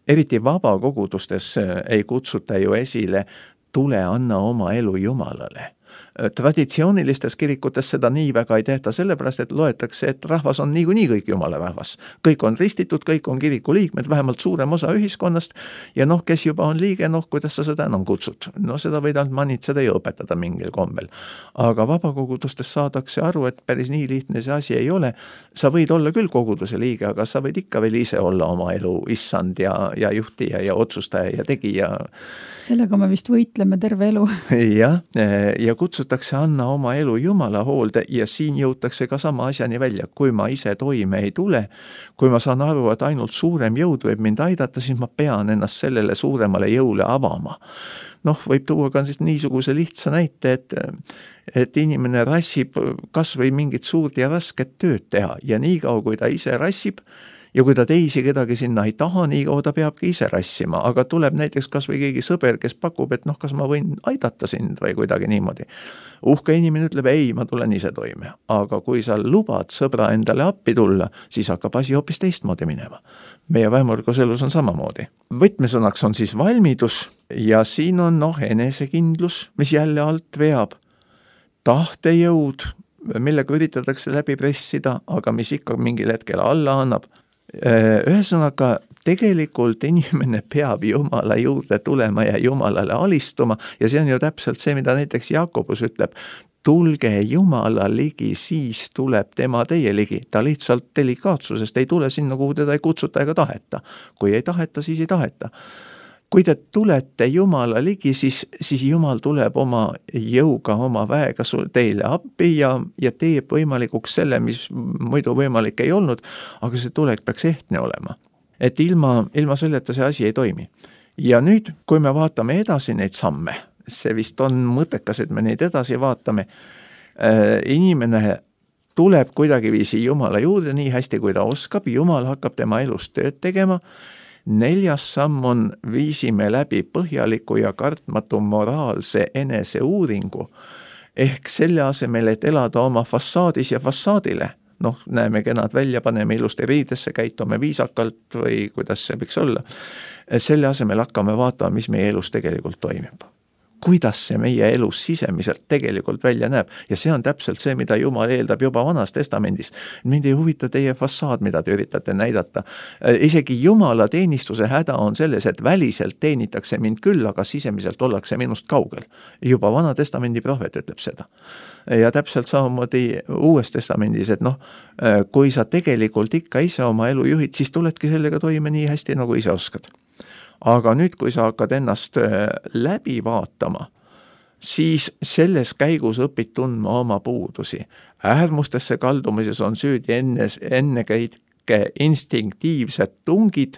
eriti vabakogudustes ei kutsuta ju esile, tule anna oma elu Jumalale. Traditsioonilistes kirikutes seda nii väga ei tehta, sellepärast, et loetakse, et rahvas on niikuinii kõik Jumala rahvas. Kõik on ristitud, kõik on kiriku liikmed, vähemalt suurem osa ühiskonnast ja kes juba on liige, kuidas sa seda enam kutsud. Seda võid ainult manitseda ja õpetada mingil kombel. Aga vabakogudustes saadakse aru, et päris nii lihtne see asi ei ole. Sa võid olla küll koguduse liige, aga sa võid ikka veel ise olla oma elu issand ja juhtija ja otsustaja ja tegija. Sellega me vist võitleme terve elu. Ja kutsutakse anna oma elu Jumala hoolde ja siin jõutakse ka sama asjani välja. Kui ma ise toime ei tule, kui ma saan aru, et ainult suurem jõud võib mind aidata, siis ma pean ennast sellele suuremale jõule avama. Võib tuua ka siis niisuguse lihtsa näite, et inimene rassib kas või mingit suurt ja rasket tööd teha ja nii kaua, kui ta ise rassib, ja kui ta teisi kedagi sinna ei taha, nii kaua ta peabki ise rassima, aga tuleb näiteks kas või keegi sõber, kes pakub, et kas ma võin aidata sind või kuidagi niimoodi. Uhke inimene ütleb, ei, ma tulen ise toime. Aga kui sa lubad sõbra endale appi tulla, siis hakkab asi hoopis teistmoodi minema. Meie vähemõrgus elus on samamoodi. Võtmesõnaks on siis valmidus ja siin on enesekindlus, mis jälle alt veab. Tahtejõud, millega üritatakse läbi pressida, aga mis ikka mingil hetkel alla annab. Ühesõnaga, tegelikult inimene peab Jumala juurde tulema ja Jumalale alistuma ja see on ju täpselt see, mida näiteks Jakobus ütleb, tulge Jumala ligi, siis tuleb tema teie ligi. Ta lihtsalt delikaatsusest ei tule sinna, kuhu teda ei kutsuta ega taheta. Kui ei taheta, siis ei taheta. kui te tulete Jumala ligi, siis Jumal tuleb oma jõuga, oma väega teile appi ja teeb võimalikuks selle, mis muidu võimalik ei olnud, aga see tulek peaks ehtne olema. Et ilma selleta see asi ei toimi. Ja nüüd, kui me vaatame edasi neid samme, see vist on mõttekas, et me neid edasi vaatame, inimene tuleb kuidagi viisi Jumala juurde nii hästi, kui ta oskab, Jumal hakkab tema elus tööd tegema. 4. samm on, viisime läbi põhjaliku ja kartmatu moraalse eneseuuringu, ehk selle asemel, et elada oma fassaadis ja fassaadile. Näeme kenad välja, paneme ilusti riidesse, käitume viisakalt või kuidas see võiks olla. Selle asemel hakkame vaatama, mis meie elus tegelikult toimib. Kuidas see meie elus sisemiselt tegelikult välja näeb. Ja see on täpselt see, mida Jumal eeldab juba Vanas Testamendis. Mind ei huvita teie fassaad, mida te üritate näidata. Isegi Jumala teenistuse häda on selles, et väliselt teenitakse mind küll, aga sisemiselt ollakse minust kaugel. Juba Vana Testamendi prohvet ütleb seda. Ja täpselt samamoodi Uues Testamendis, et kui sa tegelikult ikka ise oma elu juhid, siis tuledki sellega toime nii hästi, nagu ise oskad. Aga nüüd, kui sa hakkad ennast läbi vaatama, siis selles käigus õpid tundma oma puudusi. Äärmustesse kaldumises on süüdi ennekõike instinktiivsed tungid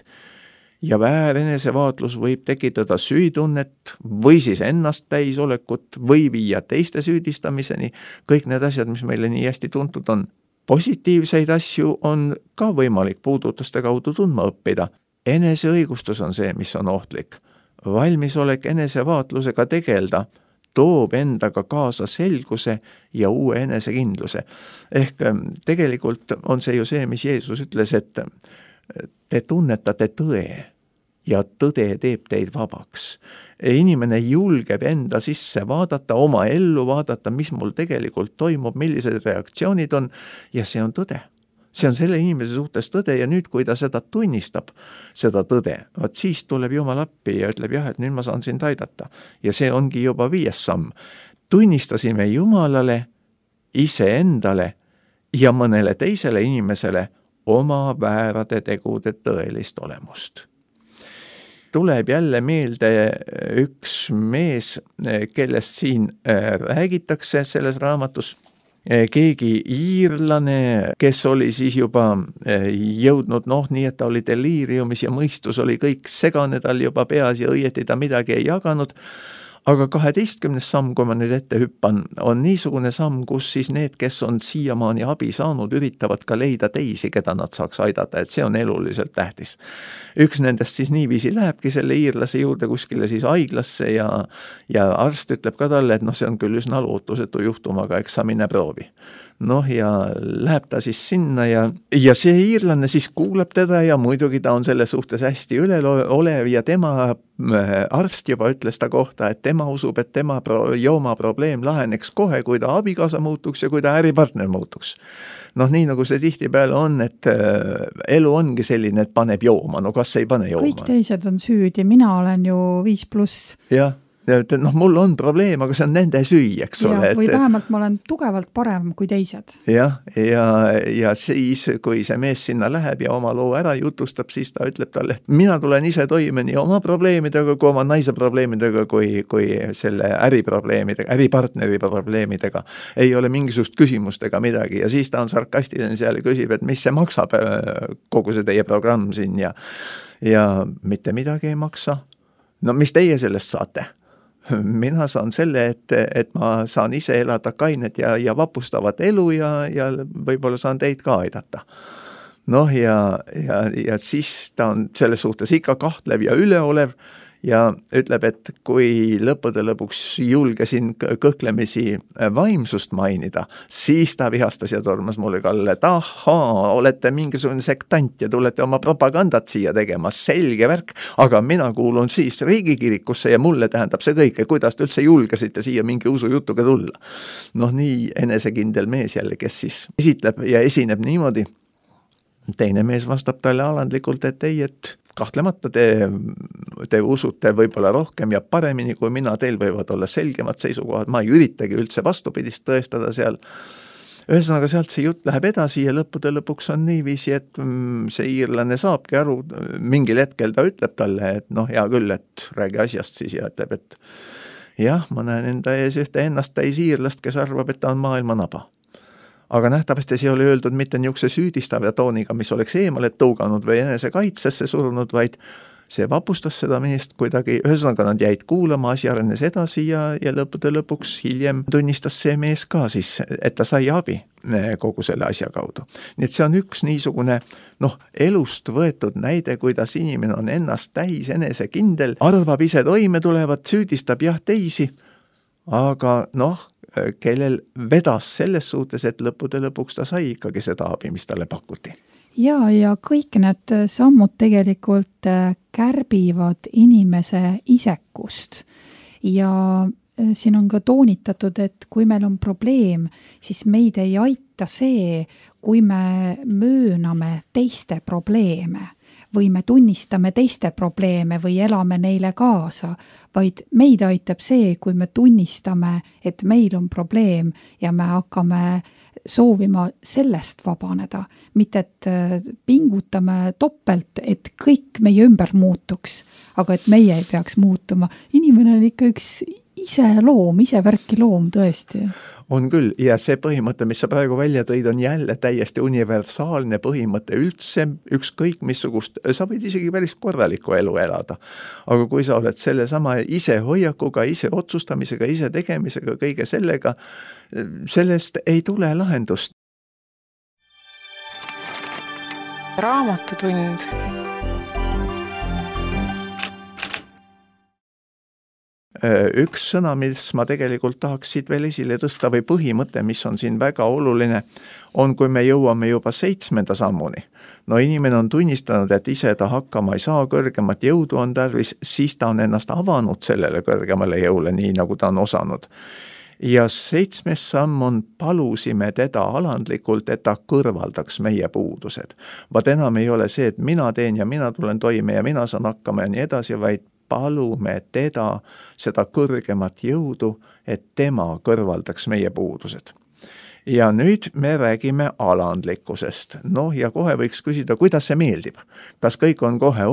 ja väär enesevaatlus võib tekitada süütunnet või siis ennast täisolekut või viia teiste süüdistamiseni. Kõik need asjad, mis meile nii hästi tuntud on. Positiivseid asju on ka võimalik puudutuste kaudu tundma õppida. Eneseõigustus on see, mis on ohtlik. Valmisolek enesevaatlusega tegelda toob endaga kaasa selguse ja uue enesekindluse. Ehk tegelikult on see ju see, mis Jeesus ütles, et te tunnetate tõe ja tõde teeb teid vabaks. Inimene julgeb enda sisse vaadata, oma ellu vaadata, mis mul tegelikult toimub, millised reaktsioonid on ja see on tõde. See on selle inimese suhtes tõde ja nüüd, kui ta seda tunnistab, seda tõde, siis tuleb Jumal appi ja ütleb jah, et nüüd ma saan sind aidata. Ja see ongi juba 5. samm. Tunnistasime Jumalale, iseendale ja mõnele teisele inimesele oma väärade tegude tõelist olemust. Tuleb jälle meelde üks mees, kellest siin räägitakse selles raamatus. Keegi iirlane, kes oli siis juba jõudnud, nii et ta oli deliiriumis ja mõistus oli kõik segane tal juba peas ja õieti ta midagi ei jaganud. Aga 12. samm, kui ma nüüd ette hüppan, on niisugune samm, kus siis need, kes on siiamaani abi saanud, üritavad ka leida teisi, keda nad saaks aidata, et see on eluliselt tähtis. Üks nendest siis niiviisi lähebki selle iirlase juurde kuskile siis haiglasse ja arst ütleb ka talle, et see on küll üsna lootusetu juhtum, aga eks sa mine proovi. Ja läheb ta siis sinna ja see iirlane siis kuulab teda ja muidugi ta on selle suhtes hästi üleolev ja tema arst juba ütles ta kohta, et tema usub, et tema jooma probleem laheneks kohe, kui ta abikaasa muutuks ja kui ta äripartner muutuks. Nii nagu see tihtipeale on, et elu ongi selline, et paneb jooma, kas ei pane jooma. Kõik teised on süüdi, mina olen ju 5+. Jah. Mul on probleem, aga see on nende süü, eks ole. Või vähemalt ma olen tugevalt parem kui teised. Ja siis, kui see mees sinna läheb ja oma loo ära jutustab, siis ta ütleb talle, et mina tulen ise toime nii oma probleemidega, kui oma naise probleemidega, kui selle äriprobleemidega, äripartneri probleemidega. Ei ole mingisugust küsimust ega midagi ja siis ta on sarkastiline seal ja küsib, et mis see maksab kogu see teie programm siin ja mitte midagi ei maksa. Mis teie sellest saate? Mina saan selle, et ma saan ise elada kainet ja vapustavat elu ja võib-olla saan teid ka aidata. Ja siis ta on selles suhtes ikka kahtlev ja üleolev ja ütleb, et kui lõppude lõpuks julgesin kõhklemisi vaimsust mainida, siis ta vihastas ja tormas mulle kalle, et ahaa, olete mingisugune sektant ja tulete oma propagandat siia tegema, selge värk, aga mina kuulun siis riigikirikusse ja mulle tähendab see kõik, kuidas te üldse julgesite siia mingi usujutuga tulla. Nii enesekindel mees jälle, kes siis esitleb ja esineb niimoodi. Teine mees vastab talle alandlikult, et ei, et kahtlemata te usute võib-olla rohkem ja paremini kui mina, teil võivad olla selgemad seisukohad, ma ei üritagi üldse vastupidist tõestada seal. ühesõnaga sealt see jutt läheb edasi ja lõppude lõpuks on niiviisi, et see iirlane saabki aru, mingil hetkel ta ütleb talle, et hea küll, et räägi asjast siis ja ütleb, et jah, ma näen enda ees ühte ennast täis iirlast, kes arvab, et ta on maailma naba. Aga nähtavasti see oli öeldud mitte niisuguse süüdistava tooniga, mis oleks eemale tõuganud või enese kaitsesse surunud, vaid see vapustas seda meest kuidagi, ühesõnaga nad jäid kuulama, asi arenes edasi ja lõppude lõpuks hiljem tunnistas see mees ka siis, et ta sai abi kogu selle asja kaudu. Nii et see on üks niisugune elust võetud näide, kuidas inimene on ennast täis enesekindel, arvab ise toime tulevat, süüdistab jah teisi, aga kellel vedas selles suhtes, et lõppude lõpuks ta sai ikkagi seda abi, mis talle pakuti. Ja kõik need sammud tegelikult kärbivad inimese isekust ja siin on ka toonitatud, et kui meil on probleem, siis meid ei aita see, kui me mööname teiste probleeme või me tunnistame teiste probleeme või elame neile kaasa, vaid meid aitab see, kui me tunnistame, et meil on probleem ja me hakkame soovima sellest vabaneda, mitte et pingutame topelt, et kõik meie ümber muutuks, aga et meie ei peaks muutuma. Inimene on ikka üks ise värki loom tõesti. On küll, ja see põhimõte, mis sa praegu välja tõid, on jälle täiesti universaalne põhimõte üldse, ükskõik missugust, sa võid isegi päris korralikku elu elada. Aga kui sa oled selle sama ise hoiakuga, ise otsustamisega, ise tegemisega, kõige sellega, sellest ei tule lahendust. Raamatutund. Üks sõna, mis ma tegelikult tahaks siit veel esile tõsta või põhimõte, mis on siin väga oluline, on, kui me jõuame juba 7. sammuni. Inimene on tunnistanud, et ise ta hakkama ei saa, kõrgemat jõudu on tarvis, siis ta on ennast avanud sellele kõrgemale jõule, nii nagu ta on osanud. Ja 7. samm on, palusime teda alandlikult, et ta kõrvaldaks meie puudused. Vaat enam ei ole see, et mina teen ja mina tulen toime ja mina saan hakkama ja nii edasi, vaid palume teda seda kõrgemat jõudu, et tema kõrvaldaks meie puudused. Ja nüüd me räägime alandlikkusest. Ja kohe võiks küsida, kuidas see meeldib. Kas kõik on kohe,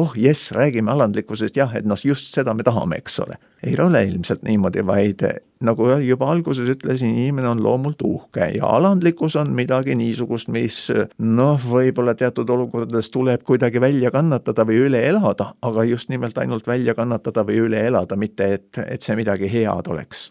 räägime alandlikkusest, jah, et just seda me tahame, eks ole. Ei ole ilmselt niimoodi, vaid nagu juba alguses ütlesin, inimene on loomult uhke ja alandlikkus on midagi niisugust, mis võib-olla teatud olukordades tuleb kuidagi välja kannatada või üle elada, aga just nimelt ainult välja kannatada või üle elada, mitte et see midagi head oleks.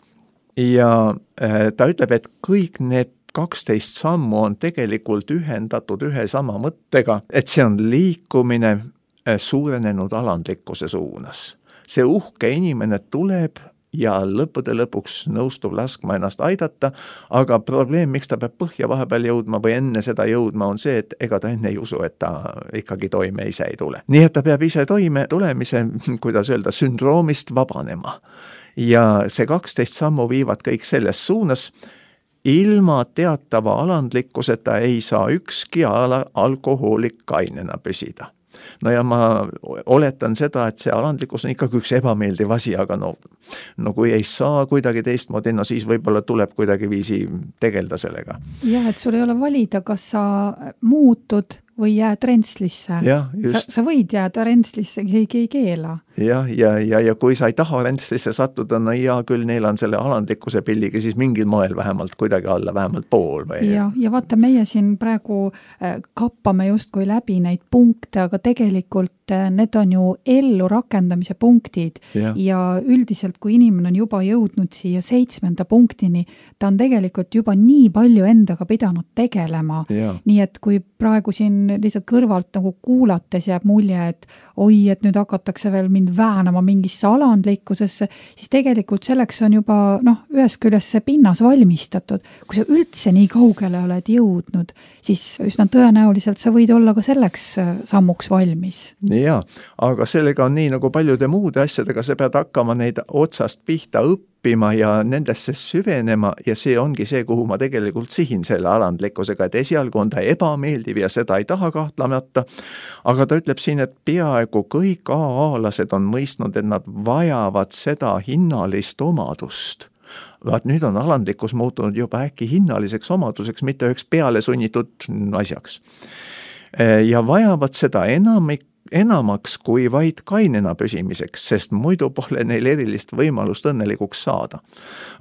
Ja ta ütleb, et kõik need 12 sammu on tegelikult ühendatud ühe sama mõttega, et see on liikumine suurenenud alandlikkuse suunas. See uhke inimene tuleb ja lõppude lõpuks nõustub laskma ennast aidata, aga probleem, miks ta peab põhja vahepeal jõudma või enne seda jõudma, on see, et ega ta enne ei usu, et ta ikkagi toime ise ei tule. Nii et ta peab ise toime tulemise, kuidas öelda, sündroomist vabanema. Ja see 12 sammu viivad kõik selles suunas. Ilma teatava alandlikkuseta ei saa ükski alkohoolik kainena püsida. Ja ma oletan seda, et see alandlikkus on ikkagi üks ebameeldiv asi, aga kui ei saa kuidagi teistmoodi, siis võib-olla tuleb kuidagi viisi tegelda sellega. Ja, et sul ei ole valida, kas sa muutud või jääd rentslisse. Sa võid jääda rentslisse, keegi ei keela. Ja kui sa ei taha rentslisse sattuda, hea küll, neil on selle alandlikkuse pilliga siis mingil moel vähemalt kuidagi alla, vähemalt pool. Ja vaata, meie siin praegu kappame justkui läbi neid punkte, aga tegelikult need on ju ellu rakendamise punktid ja üldiselt, kui inimene on juba jõudnud siia 7. punktini, ta on tegelikult juba nii palju endaga pidanud tegelema. Nii et kui praegu siin lihtsalt kõrvalt nagu kuulates jääb mulje, et et nüüd hakatakse veel mind väänama mingisse alandlikkusesse, siis tegelikult selleks on juba ühest küljest see pinnas valmistatud. Kui sa üldse nii kaugele oled jõudnud, siis üsna tõenäoliselt sa võid olla ka selleks sammuks valmis. Ja, aga sellega on nii nagu paljude muude asjadega, sa pead hakkama neid otsast pihta õppima ja nendesse süvenema ja see ongi see, kuhu ma tegelikult sihin selle alandlikkusega, et esialgu on ta ebameeldiv ja seda ei taha kahtlemata, aga ta ütleb siin, et peaaegu kõik AA-lased on mõistnud, et nad vajavad seda hinnalist omadust. Vaat nüüd on alandlikkus muutunud juba äkki hinnaliseks omaduseks, mitte üheks peale sunnitud asjaks. Ja vajavad seda enamaks kui vaid kainena püsimiseks, sest muidu pole neil erilist võimalust õnnelikuks saada.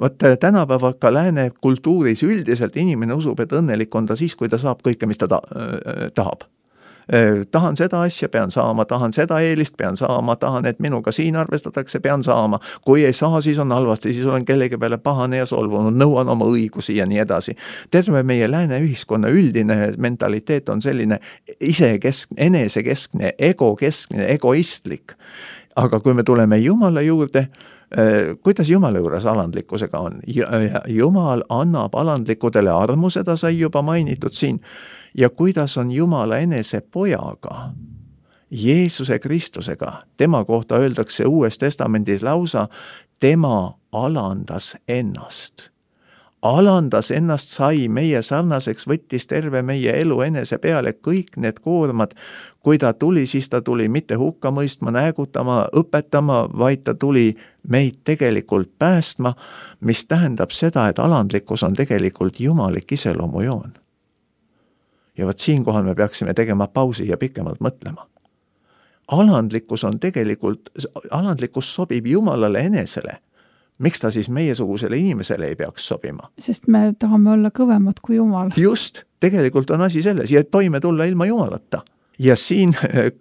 Vaat tänapäeva ka lääne kultuuris üldiselt inimene usub, et õnnelik on ta siis, kui ta saab kõike, mis ta tahab. Tahan seda asja, pean saama, tahan seda eelist, pean saama, tahan, et minuga siin arvestatakse, pean saama. Kui ei saa, siis on halvasti, siis olen kellegi peale pahane ja solvunud, nõuan oma õigusi ja nii edasi. Terve meie lääne ühiskonna üldine mentaliteet on selline enesekeskne, egokeskne, egoistlik. Aga kui me tuleme Jumala juurde, kuidas Jumala juures alandlikkusega on? Jumal annab alandlikudele armu, seda sai juba mainitud siin. Ja kuidas on Jumala enese pojaga, Jeesuse Kristusega, tema kohta öeldakse Uues Testamendis lausa, tema alandas ennast. Alandas ennast, sai meie sarnaseks, võttis terve meie elu enese peale kõik need koormad. Kui ta tuli, siis ta tuli mitte hukka mõistma, näägutama, õpetama, vaid ta tuli meid tegelikult päästma, mis tähendab seda, et alandlikkus on tegelikult jumalik iseloomujoon. Ja võt siinkohal me peaksime tegema pausi ja pikemalt mõtlema. Alandlikkus on tegelikult, alandlikkus sobib Jumalale enesele. Miks ta siis meiesugusele inimesele ei peaks sobima? Sest me tahame olla kõvemad kui Jumal. Just, tegelikult on asi selles ja toime tulla ilma Jumalata. Ja siin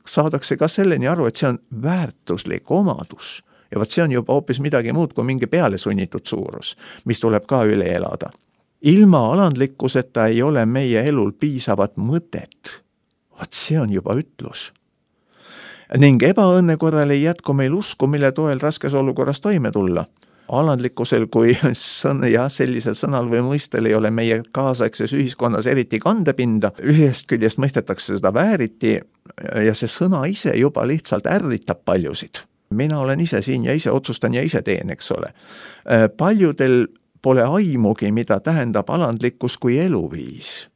saadakse ka selleni aru, et see on väärtuslik omadus. Ja võt see on juba hoopis midagi muud kui mingi peale sunnitud suurus, mis tuleb ka üle elada. Ilma alandlikkuseta ei ole meie elul piisavat mõtet. Vaat see on juba ütlus. Ning ebaõnne korral ei jätku meil usku, mille toel raskes olukorras toime tulla. Alandlikkusel kui sellisel sõnal või mõistel ei ole meie kaasaegses ühiskonnas eriti kandepinda. Ühest küljest mõistetakse seda vääriti ja see sõna ise juba lihtsalt ärritab paljusid. Mina olen ise siin ja ise otsustan ja ise teen, eks ole. Paljudel pole aimugi, mida tähendab alandlikkus kui eluviis.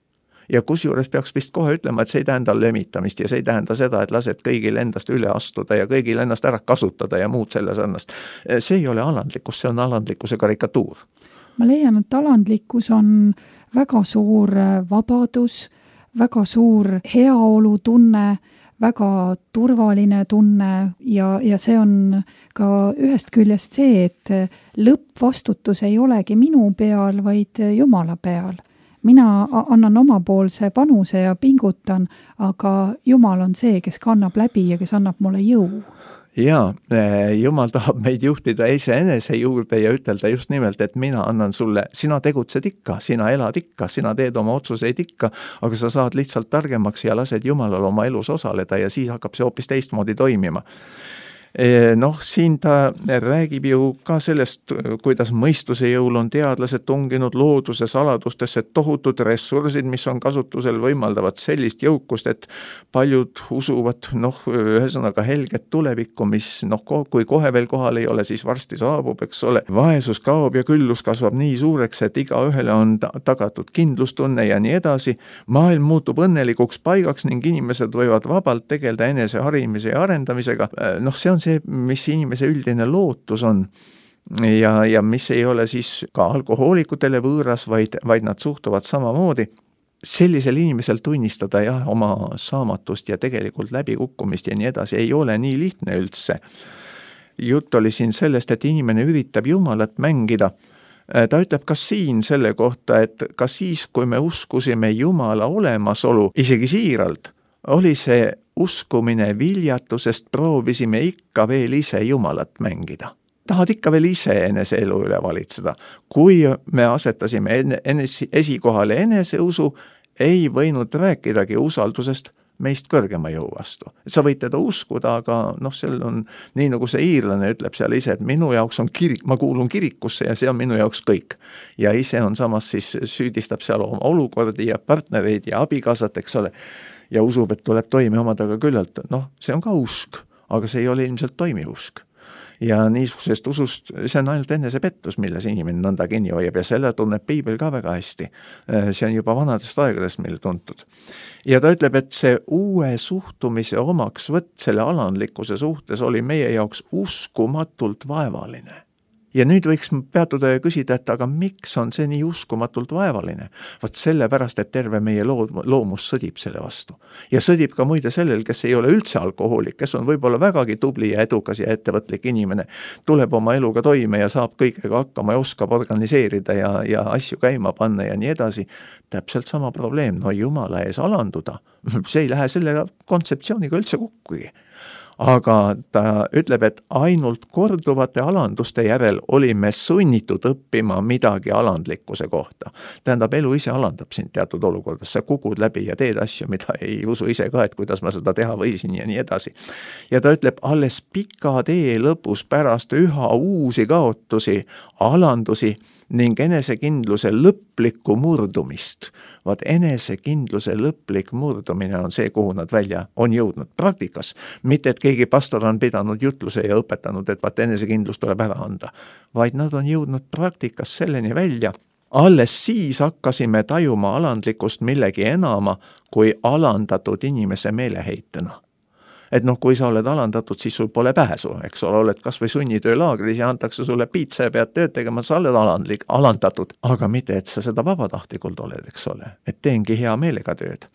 Ja kusjuures peaks vist kohe ütlema, et see ei tähenda lömitamist ja see ei tähenda seda, et lased kõigil endast üle astuda ja kõigil ennast ära kasutada ja muud selle sarnast. See ei ole alandlikkus, see on alandlikkuse karikatuur. Ma leian, et alandlikkus on väga suur vabadus, väga suur heaolu tunne, väga turvaline tunne ja see on ka ühest küljest see, et lõppvastutus ei olegi minu peal, vaid Jumala peal. Mina annan omapoolse panuse ja pingutan, aga Jumal on see, kes kannab läbi ja kes annab mulle jõu. Ja, Jumal tahab meid juhtida iseenese juurde ja ütelda just nimelt, et mina annan sulle, sina tegutsed ikka, sina elad ikka, sina teed oma otsuseid ikka, aga sa saad lihtsalt targemaks ja lased Jumalal oma elus osaleda ja siis hakkab see hoopis teistmoodi toimima. Siin ta räägib ju ka sellest, kuidas mõistuse jõul on teadlased tunginud looduse saladustesse, tohutud ressursid, mis on kasutusel, võimaldavad sellist jõukust, et paljud usuvad, ühesõnaga helget tulevikku, mis kui kohe veel kohal ei ole, siis varsti saabub, eks ole. Vaesus kaob ja küllus kasvab nii suureks, et iga ühele on tagatud kindlustunne ja nii edasi. Maailm muutub õnnelikuks paigaks ning inimesed võivad vabalt tegelda enese harimise ja arendamisega. See on see, mis inimese üldine lootus on ja mis ei ole siis ka alkohoolikutele võõras, vaid nad suhtuvad samamoodi. Sellisel inimesel tunnistada oma saamatust ja tegelikult läbikukkumist ja nii edasi ei ole nii lihtne üldse. Jutt oli siin sellest, et inimene üritab Jumalat mängida. Ta ütleb ka siin selle kohta, et ka siis, kui me uskusime Jumala olemasolu, isegi siiralt, oli see uskumine viljatusest, proovisime ikka veel ise Jumalat mängida. Tahad ikka veel ise enese elu üle valitseda. Kui me asetasime esikohale eneseusu, ei võinud rääkidagi usaldusest meist kõrgema jõu vastu. Sa võid teda uskuda, aga seal on nii nagu see iirlane ütleb seal ise, et minu jaoks on kirik, ma kuulun kirikusse ja see on minu jaoks kõik. Ja ise on samas siis süüdistab seal oma olukordi ja partnereid ja abikaasat, eks ole. Ja usub, et tuleb toime omadega küllalt. See on ka usk, aga see ei ole ilmselt toimiv usk. Ja niisugusest usust, see on ainult enesepettus, milles inimene nõnda kinni hoiab ja selle tunneb Piibel ka väga hästi. See on juba vanadest aegadest meil tuntud. Ja ta ütleb, et see uue suhtumise omaksvõtt selle alandlikkuse suhtes oli meie jaoks uskumatult vaevaline. Ja nüüd võiks peatuda ja küsida, et aga miks on see nii uskumatult vaevaline? Vaat sellepärast, et terve meie loomus sõdib selle vastu. Ja sõdib ka muide sellel, kes ei ole üldse alkohoolik, kes on võib-olla vägagi tubli ja edukas ja ettevõtlik inimene, tuleb oma eluga toime ja saab kõigega hakkama ja oskab organiseerida ja asju käima panna ja nii edasi. Täpselt sama probleem, no jumala ees alanduda, see ei lähe selle kontseptsiooniga üldse kokkugi. Aga ta ütleb, et ainult korduvate alanduste järel olime sunnitud õppima midagi alandlikkuse kohta. Tähendab, elu ise alandab sind teatud olukordas, sa kukud läbi ja teed asju, mida ei usu ise ka, et kuidas ma seda teha võisin ja nii edasi. Ja ta ütleb, alles pika tee lõpus pärast üha uusi kaotusi, alandusi ning enesekindluse lõplikku murdumist. Vaat enesekindluse lõplik murdumine on see, kuhu nad välja on jõudnud praktikas. Mitte, et keegi pastor on pidanud jutluse ja õpetanud, et vaat enesekindlus tuleb ära anda, vaid nad on jõudnud praktikas selleni välja. Alles siis hakkasime tajuma alandlikkust millegi enama kui alandatud inimese meeleheitena. Et noh, kui sa oled alandatud, siis sul pole pääsu, eks ole, oled kas või sunnitöölaagris ja antakse sulle piitsa ja pead tööd tegema, sa oled alandatud, aga mitte, et sa seda vabatahtlikult oled, eks ole, et teengi hea meelega tööd.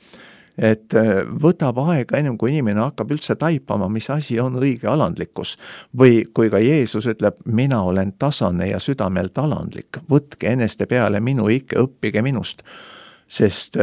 Et võtab aega ennem, kui inimene hakkab üldse taipama, mis asi on õige alandlikkus. Või kui ka Jeesus ütleb, mina olen tasane ja südamelt alandlik, võtke eneste peale minu ikke, õppige minust. Sest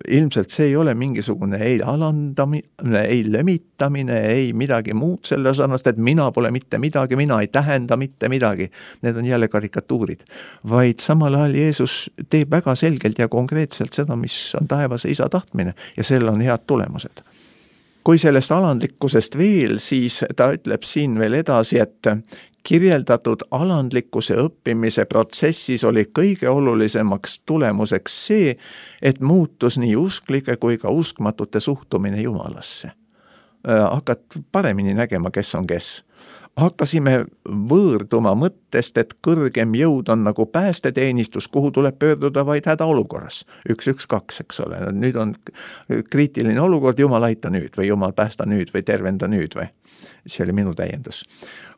ilmselt see ei ole mingisugune ei alandamine, ei lömitamine, ei midagi muud selle sarnast, et mina pole mitte midagi, mina ei tähenda mitte midagi. Need on jälle karikatuurid. Vaid samal ajal Jeesus teeb väga selgelt ja konkreetselt seda, mis on taevase isa tahtmine ja sellel on head tulemused. Kui sellest alandlikkusest veel, siis ta ütleb siin veel edasi, et kirjeldatud alandlikkuse õppimise protsessis oli kõige olulisemaks tulemuseks see, et muutus nii usklike kui ka uskmatute suhtumine Jumalasse. Hakkad paremini nägema, kes on kes. Hakkasime võõrduma mõttest, et kõrgem jõud on nagu päästeteenistus, kuhu tuleb pöörduda vaid hädaolukorras. 112, eks ole. Nüüd on kriitiline olukord, Jumal aita nüüd või Jumal päästa nüüd või tervenda nüüd või. See oli minu täiendus.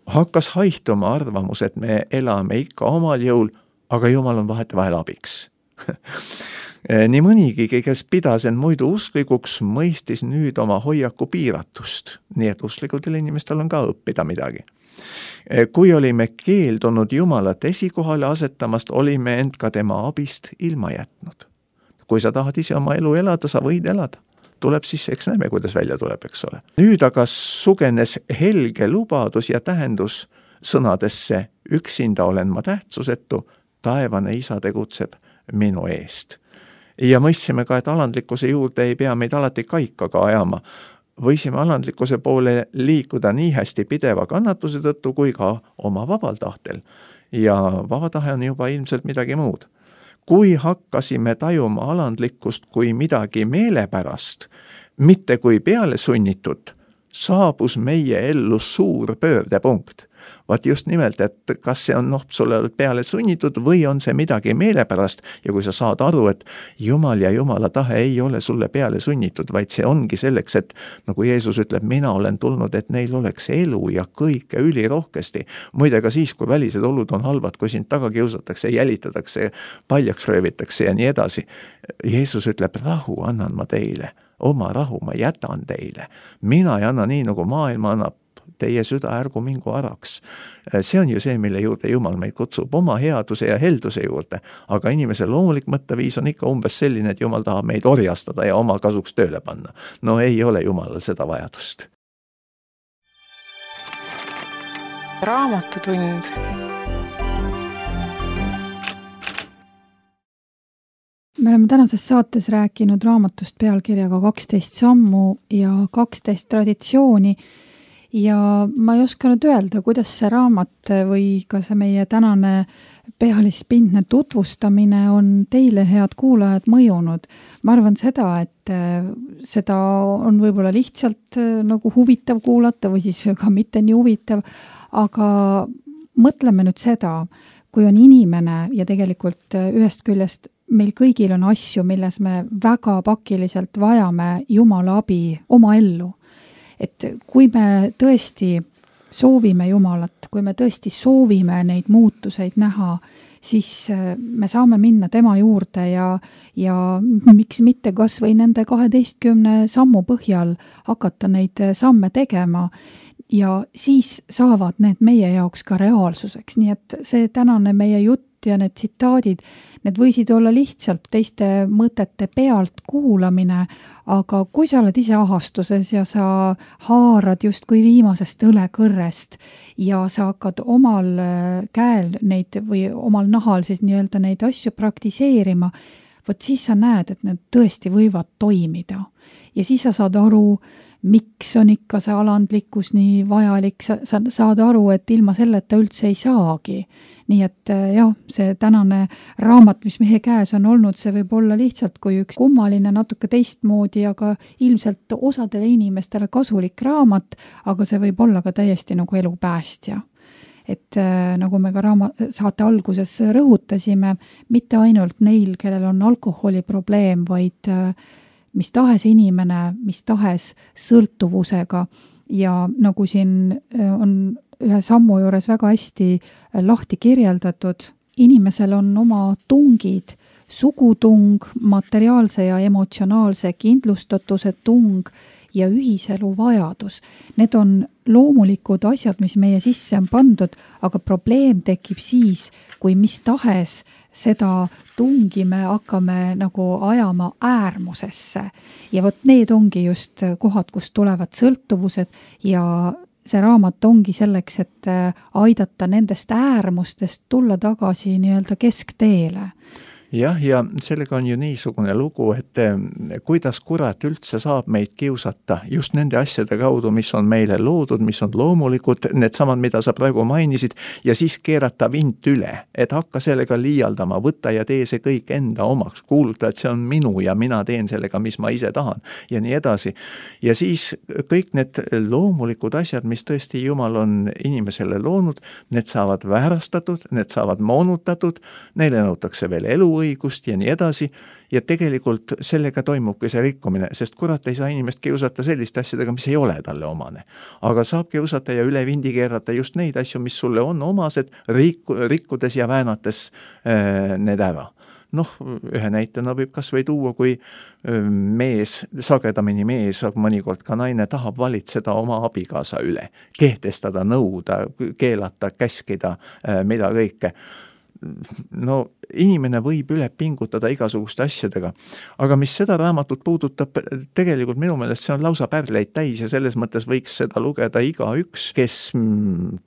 Hakkas haihtuma arvamus, et me elame ikka omal jõul, aga Jumal on vahetevahel abiks. Nii mõnigi, kes pidas end muidu usklikuks, mõistis nüüd oma hoiaku piiratust, nii et usklikutel inimestel on ka õppida midagi. Kui olime keeldunud Jumalat esikohale asetamast, olime end ka tema abist ilma jätnud. Kui sa tahad ise oma elu elada, sa võid elada. Tuleb siis, eks näeme, kuidas välja tuleb, eks ole. Nüüd aga sugenes helge lubadus ja tähendus sõnadesse, üksinda olen ma tähtsusetu, taevane isa tegutseb minu eest. Ja mõistsime ka, et alandlikkuse juurde ei pea meid alati kaikaga ajama. Võisime alandlikkuse poole liikuda nii hästi pideva kannatuse tõttu kui ka oma vabal tahtel. Ja vabatahe on juba ilmselt midagi muud. Kui hakkasime tajuma alandlikkust kui midagi meelepärast, mitte kui peale sunnitud, saabus meie ellu suur pöördepunkt. Vaat just nimelt, et kas see on sulle peale sunnitud või on see midagi meelepärast ja kui sa saad aru, et Jumal ja Jumala tahe ei ole sulle peale sunnitud, vaid see ongi selleks, et nagu Jeesus ütleb, mina olen tulnud, et neil oleks elu ja kõike ülirohkesti. Muide ka siis, kui välised olud on halvad, kui sind taga kiusatakse, jälitatakse, paljaks röövitakse ja nii edasi. Jeesus ütleb, rahu annan ma teile, oma rahu ma jätan teile. Mina ei anna nii, nagu maailma annab. Teie süda ärgu mingu araks. See on ju see, mille juurde Jumal meid kutsub, oma headuse ja helduse juurde. Aga inimese loomulik mõtteviis on ikka umbes selline, et Jumal tahab meid orjastada ja oma kasuks tööle panna. No ei ole Jumalal seda vajadust. Raamatutund. Me oleme tänases saates rääkinud raamatust pealkirjaga 12 sammu ja 12 traditsiooni. Ja ma ei osanud öelda, kuidas see raamat või ka see meie tänane pealispindne tutvustamine on teile, head kuulajad, mõjunud. Ma arvan seda, et seda on võib-olla lihtsalt nagu huvitav kuulata või siis ka mitte nii huvitav, aga mõtleme nüüd seda, kui on inimene ja tegelikult ühest küljest meil kõigil on asju, milles me väga pakiliselt vajame Jumala abi oma ellu. Et kui me tõesti soovime Jumalat, kui me tõesti soovime neid muutuseid näha, siis me saame minna tema juurde ja miks mitte kas või nende 12 sammu põhjal hakata neid samme tegema ja siis saavad need meie jaoks ka reaalsuseks. Nii et see tänane meie jutt ja need tsitaadid, need võisid olla lihtsalt teiste mõtete pealt kuulamine, aga kui sa oled ise ahastuses ja sa haarad just kui viimasest õlekõrrest ja sa hakkad omal käel neid või omal nahal siis nii-öelda neid asju praktiseerima, vot siis sa näed, et need tõesti võivad toimida. Ja siis sa saad aru, miks on ikka see alandlikkus nii vajalik, sa saad aru, et ilma selleta üldse ei saagi. Nii et jah, see tänane raamat, mis meie käes on olnud, see võib olla lihtsalt kui üks kummaline, natuke teistmoodi, aga ilmselt osadele inimestele kasulik raamat, aga see võib olla ka täiesti nagu elupäästja. Et nagu me ka saate alguses rõhutasime, mitte ainult neil, kellel on alkoholiprobleem, vaid mis tahes inimene, mis tahes sõltuvusega ja nagu siin on ühe sammu juures väga hästi lahti kirjeldatud, inimesel on oma tungid, sugutung, materiaalse ja emotsionaalse kindlustatuse tung ja ühiselu vajadus. Need on loomulikud asjad, mis meie sisse on pandud, aga probleem tekib siis, kui mis tahes seda tungi me hakkame nagu ajama äärmusesse. Ja vot need ongi just kohad, kus tulevad sõltuvused ja see raamat ongi selleks, et aidata nendest äärmustest tulla tagasi nii-öelda keskteele. Jah, ja sellega on ju niisugune lugu, et kuidas kurat üldse saab meid kiusata just nende asjade kaudu, mis on meile loodud, mis on loomulikud, need samad, mida sa praegu mainisid, ja siis keerata vint üle, et hakka sellega liialdama, võtta ja tee see kõik enda omaks, kuuluta, et see on minu ja mina teen sellega, mis ma ise tahan ja nii edasi. Ja siis kõik need loomulikud asjad, mis tõesti Jumal on inimesele loonud, need saavad väärastatud, need saavad moonutatud, neile nõutakse veel eluõigust ja nii edasi ja tegelikult sellega toimubki see rikkumine, sest kurat ei saa inimest kiusata selliste asjadega, mis ei ole talle omane. Aga saab kiusata ja üle vindi keerata just neid asju, mis sulle on omased, rikkudes ja väänates need ära. Ühe näitena võib kas või tuua, kui mees, sagedamini mees, aga mõnikord ka naine tahab valitseda oma abikaasa üle, kehtestada, nõuda, keelata, käskida, mida kõike. Inimene võib üle pingutada igasuguste asjadega, aga mis seda raamatut puudutab, tegelikult minu meelest see on lausa pärleid täis ja selles mõttes võiks seda lugeda igaüks, kes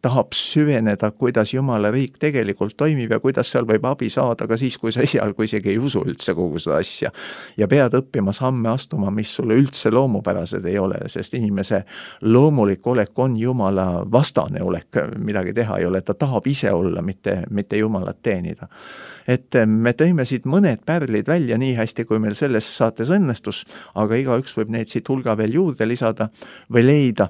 tahab süveneda, kuidas Jumala riik tegelikult toimib ja kuidas seal võib abi saada ka siis, kui sa esialgu isegi ei usu üldse kogu seda asja ja pead õppima samme astuma, mis sulle üldse loomupärased ei ole, sest inimese loomulik olek on Jumala vastane olek, midagi teha ei ole, ta tahab ise olla, mitte Jumalat teenida. Et me tõime siit mõned pärlid välja nii hästi, kui meil selles saates õnnestus, aga igaüks võib neid siit hulga veel juurde lisada või leida.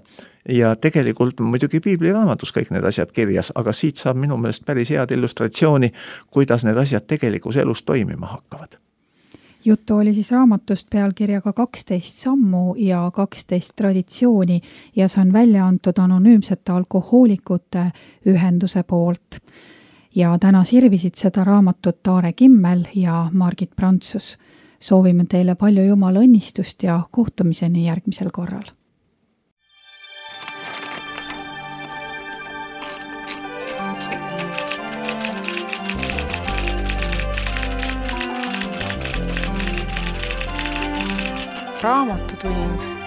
Ja tegelikult muidugi piibliraamatus kõik need asjad kirjas, aga siit saab minu meelest päris head illustratsiooni, kuidas need asjad tegelikus elus toimima hakkavad. Juttu oli siis raamatust pealkirjaga 12 sammu ja 12 traditsiooni ja see on välja antud anonüümsete alkohoolikute ühenduse poolt. Ja täna sirvisid seda raamatut Taare Kimmel ja Margit Prantsus. Soovime teile palju Jumala õnnistust ja kohtumiseni järgmisel korral. Raamatutund.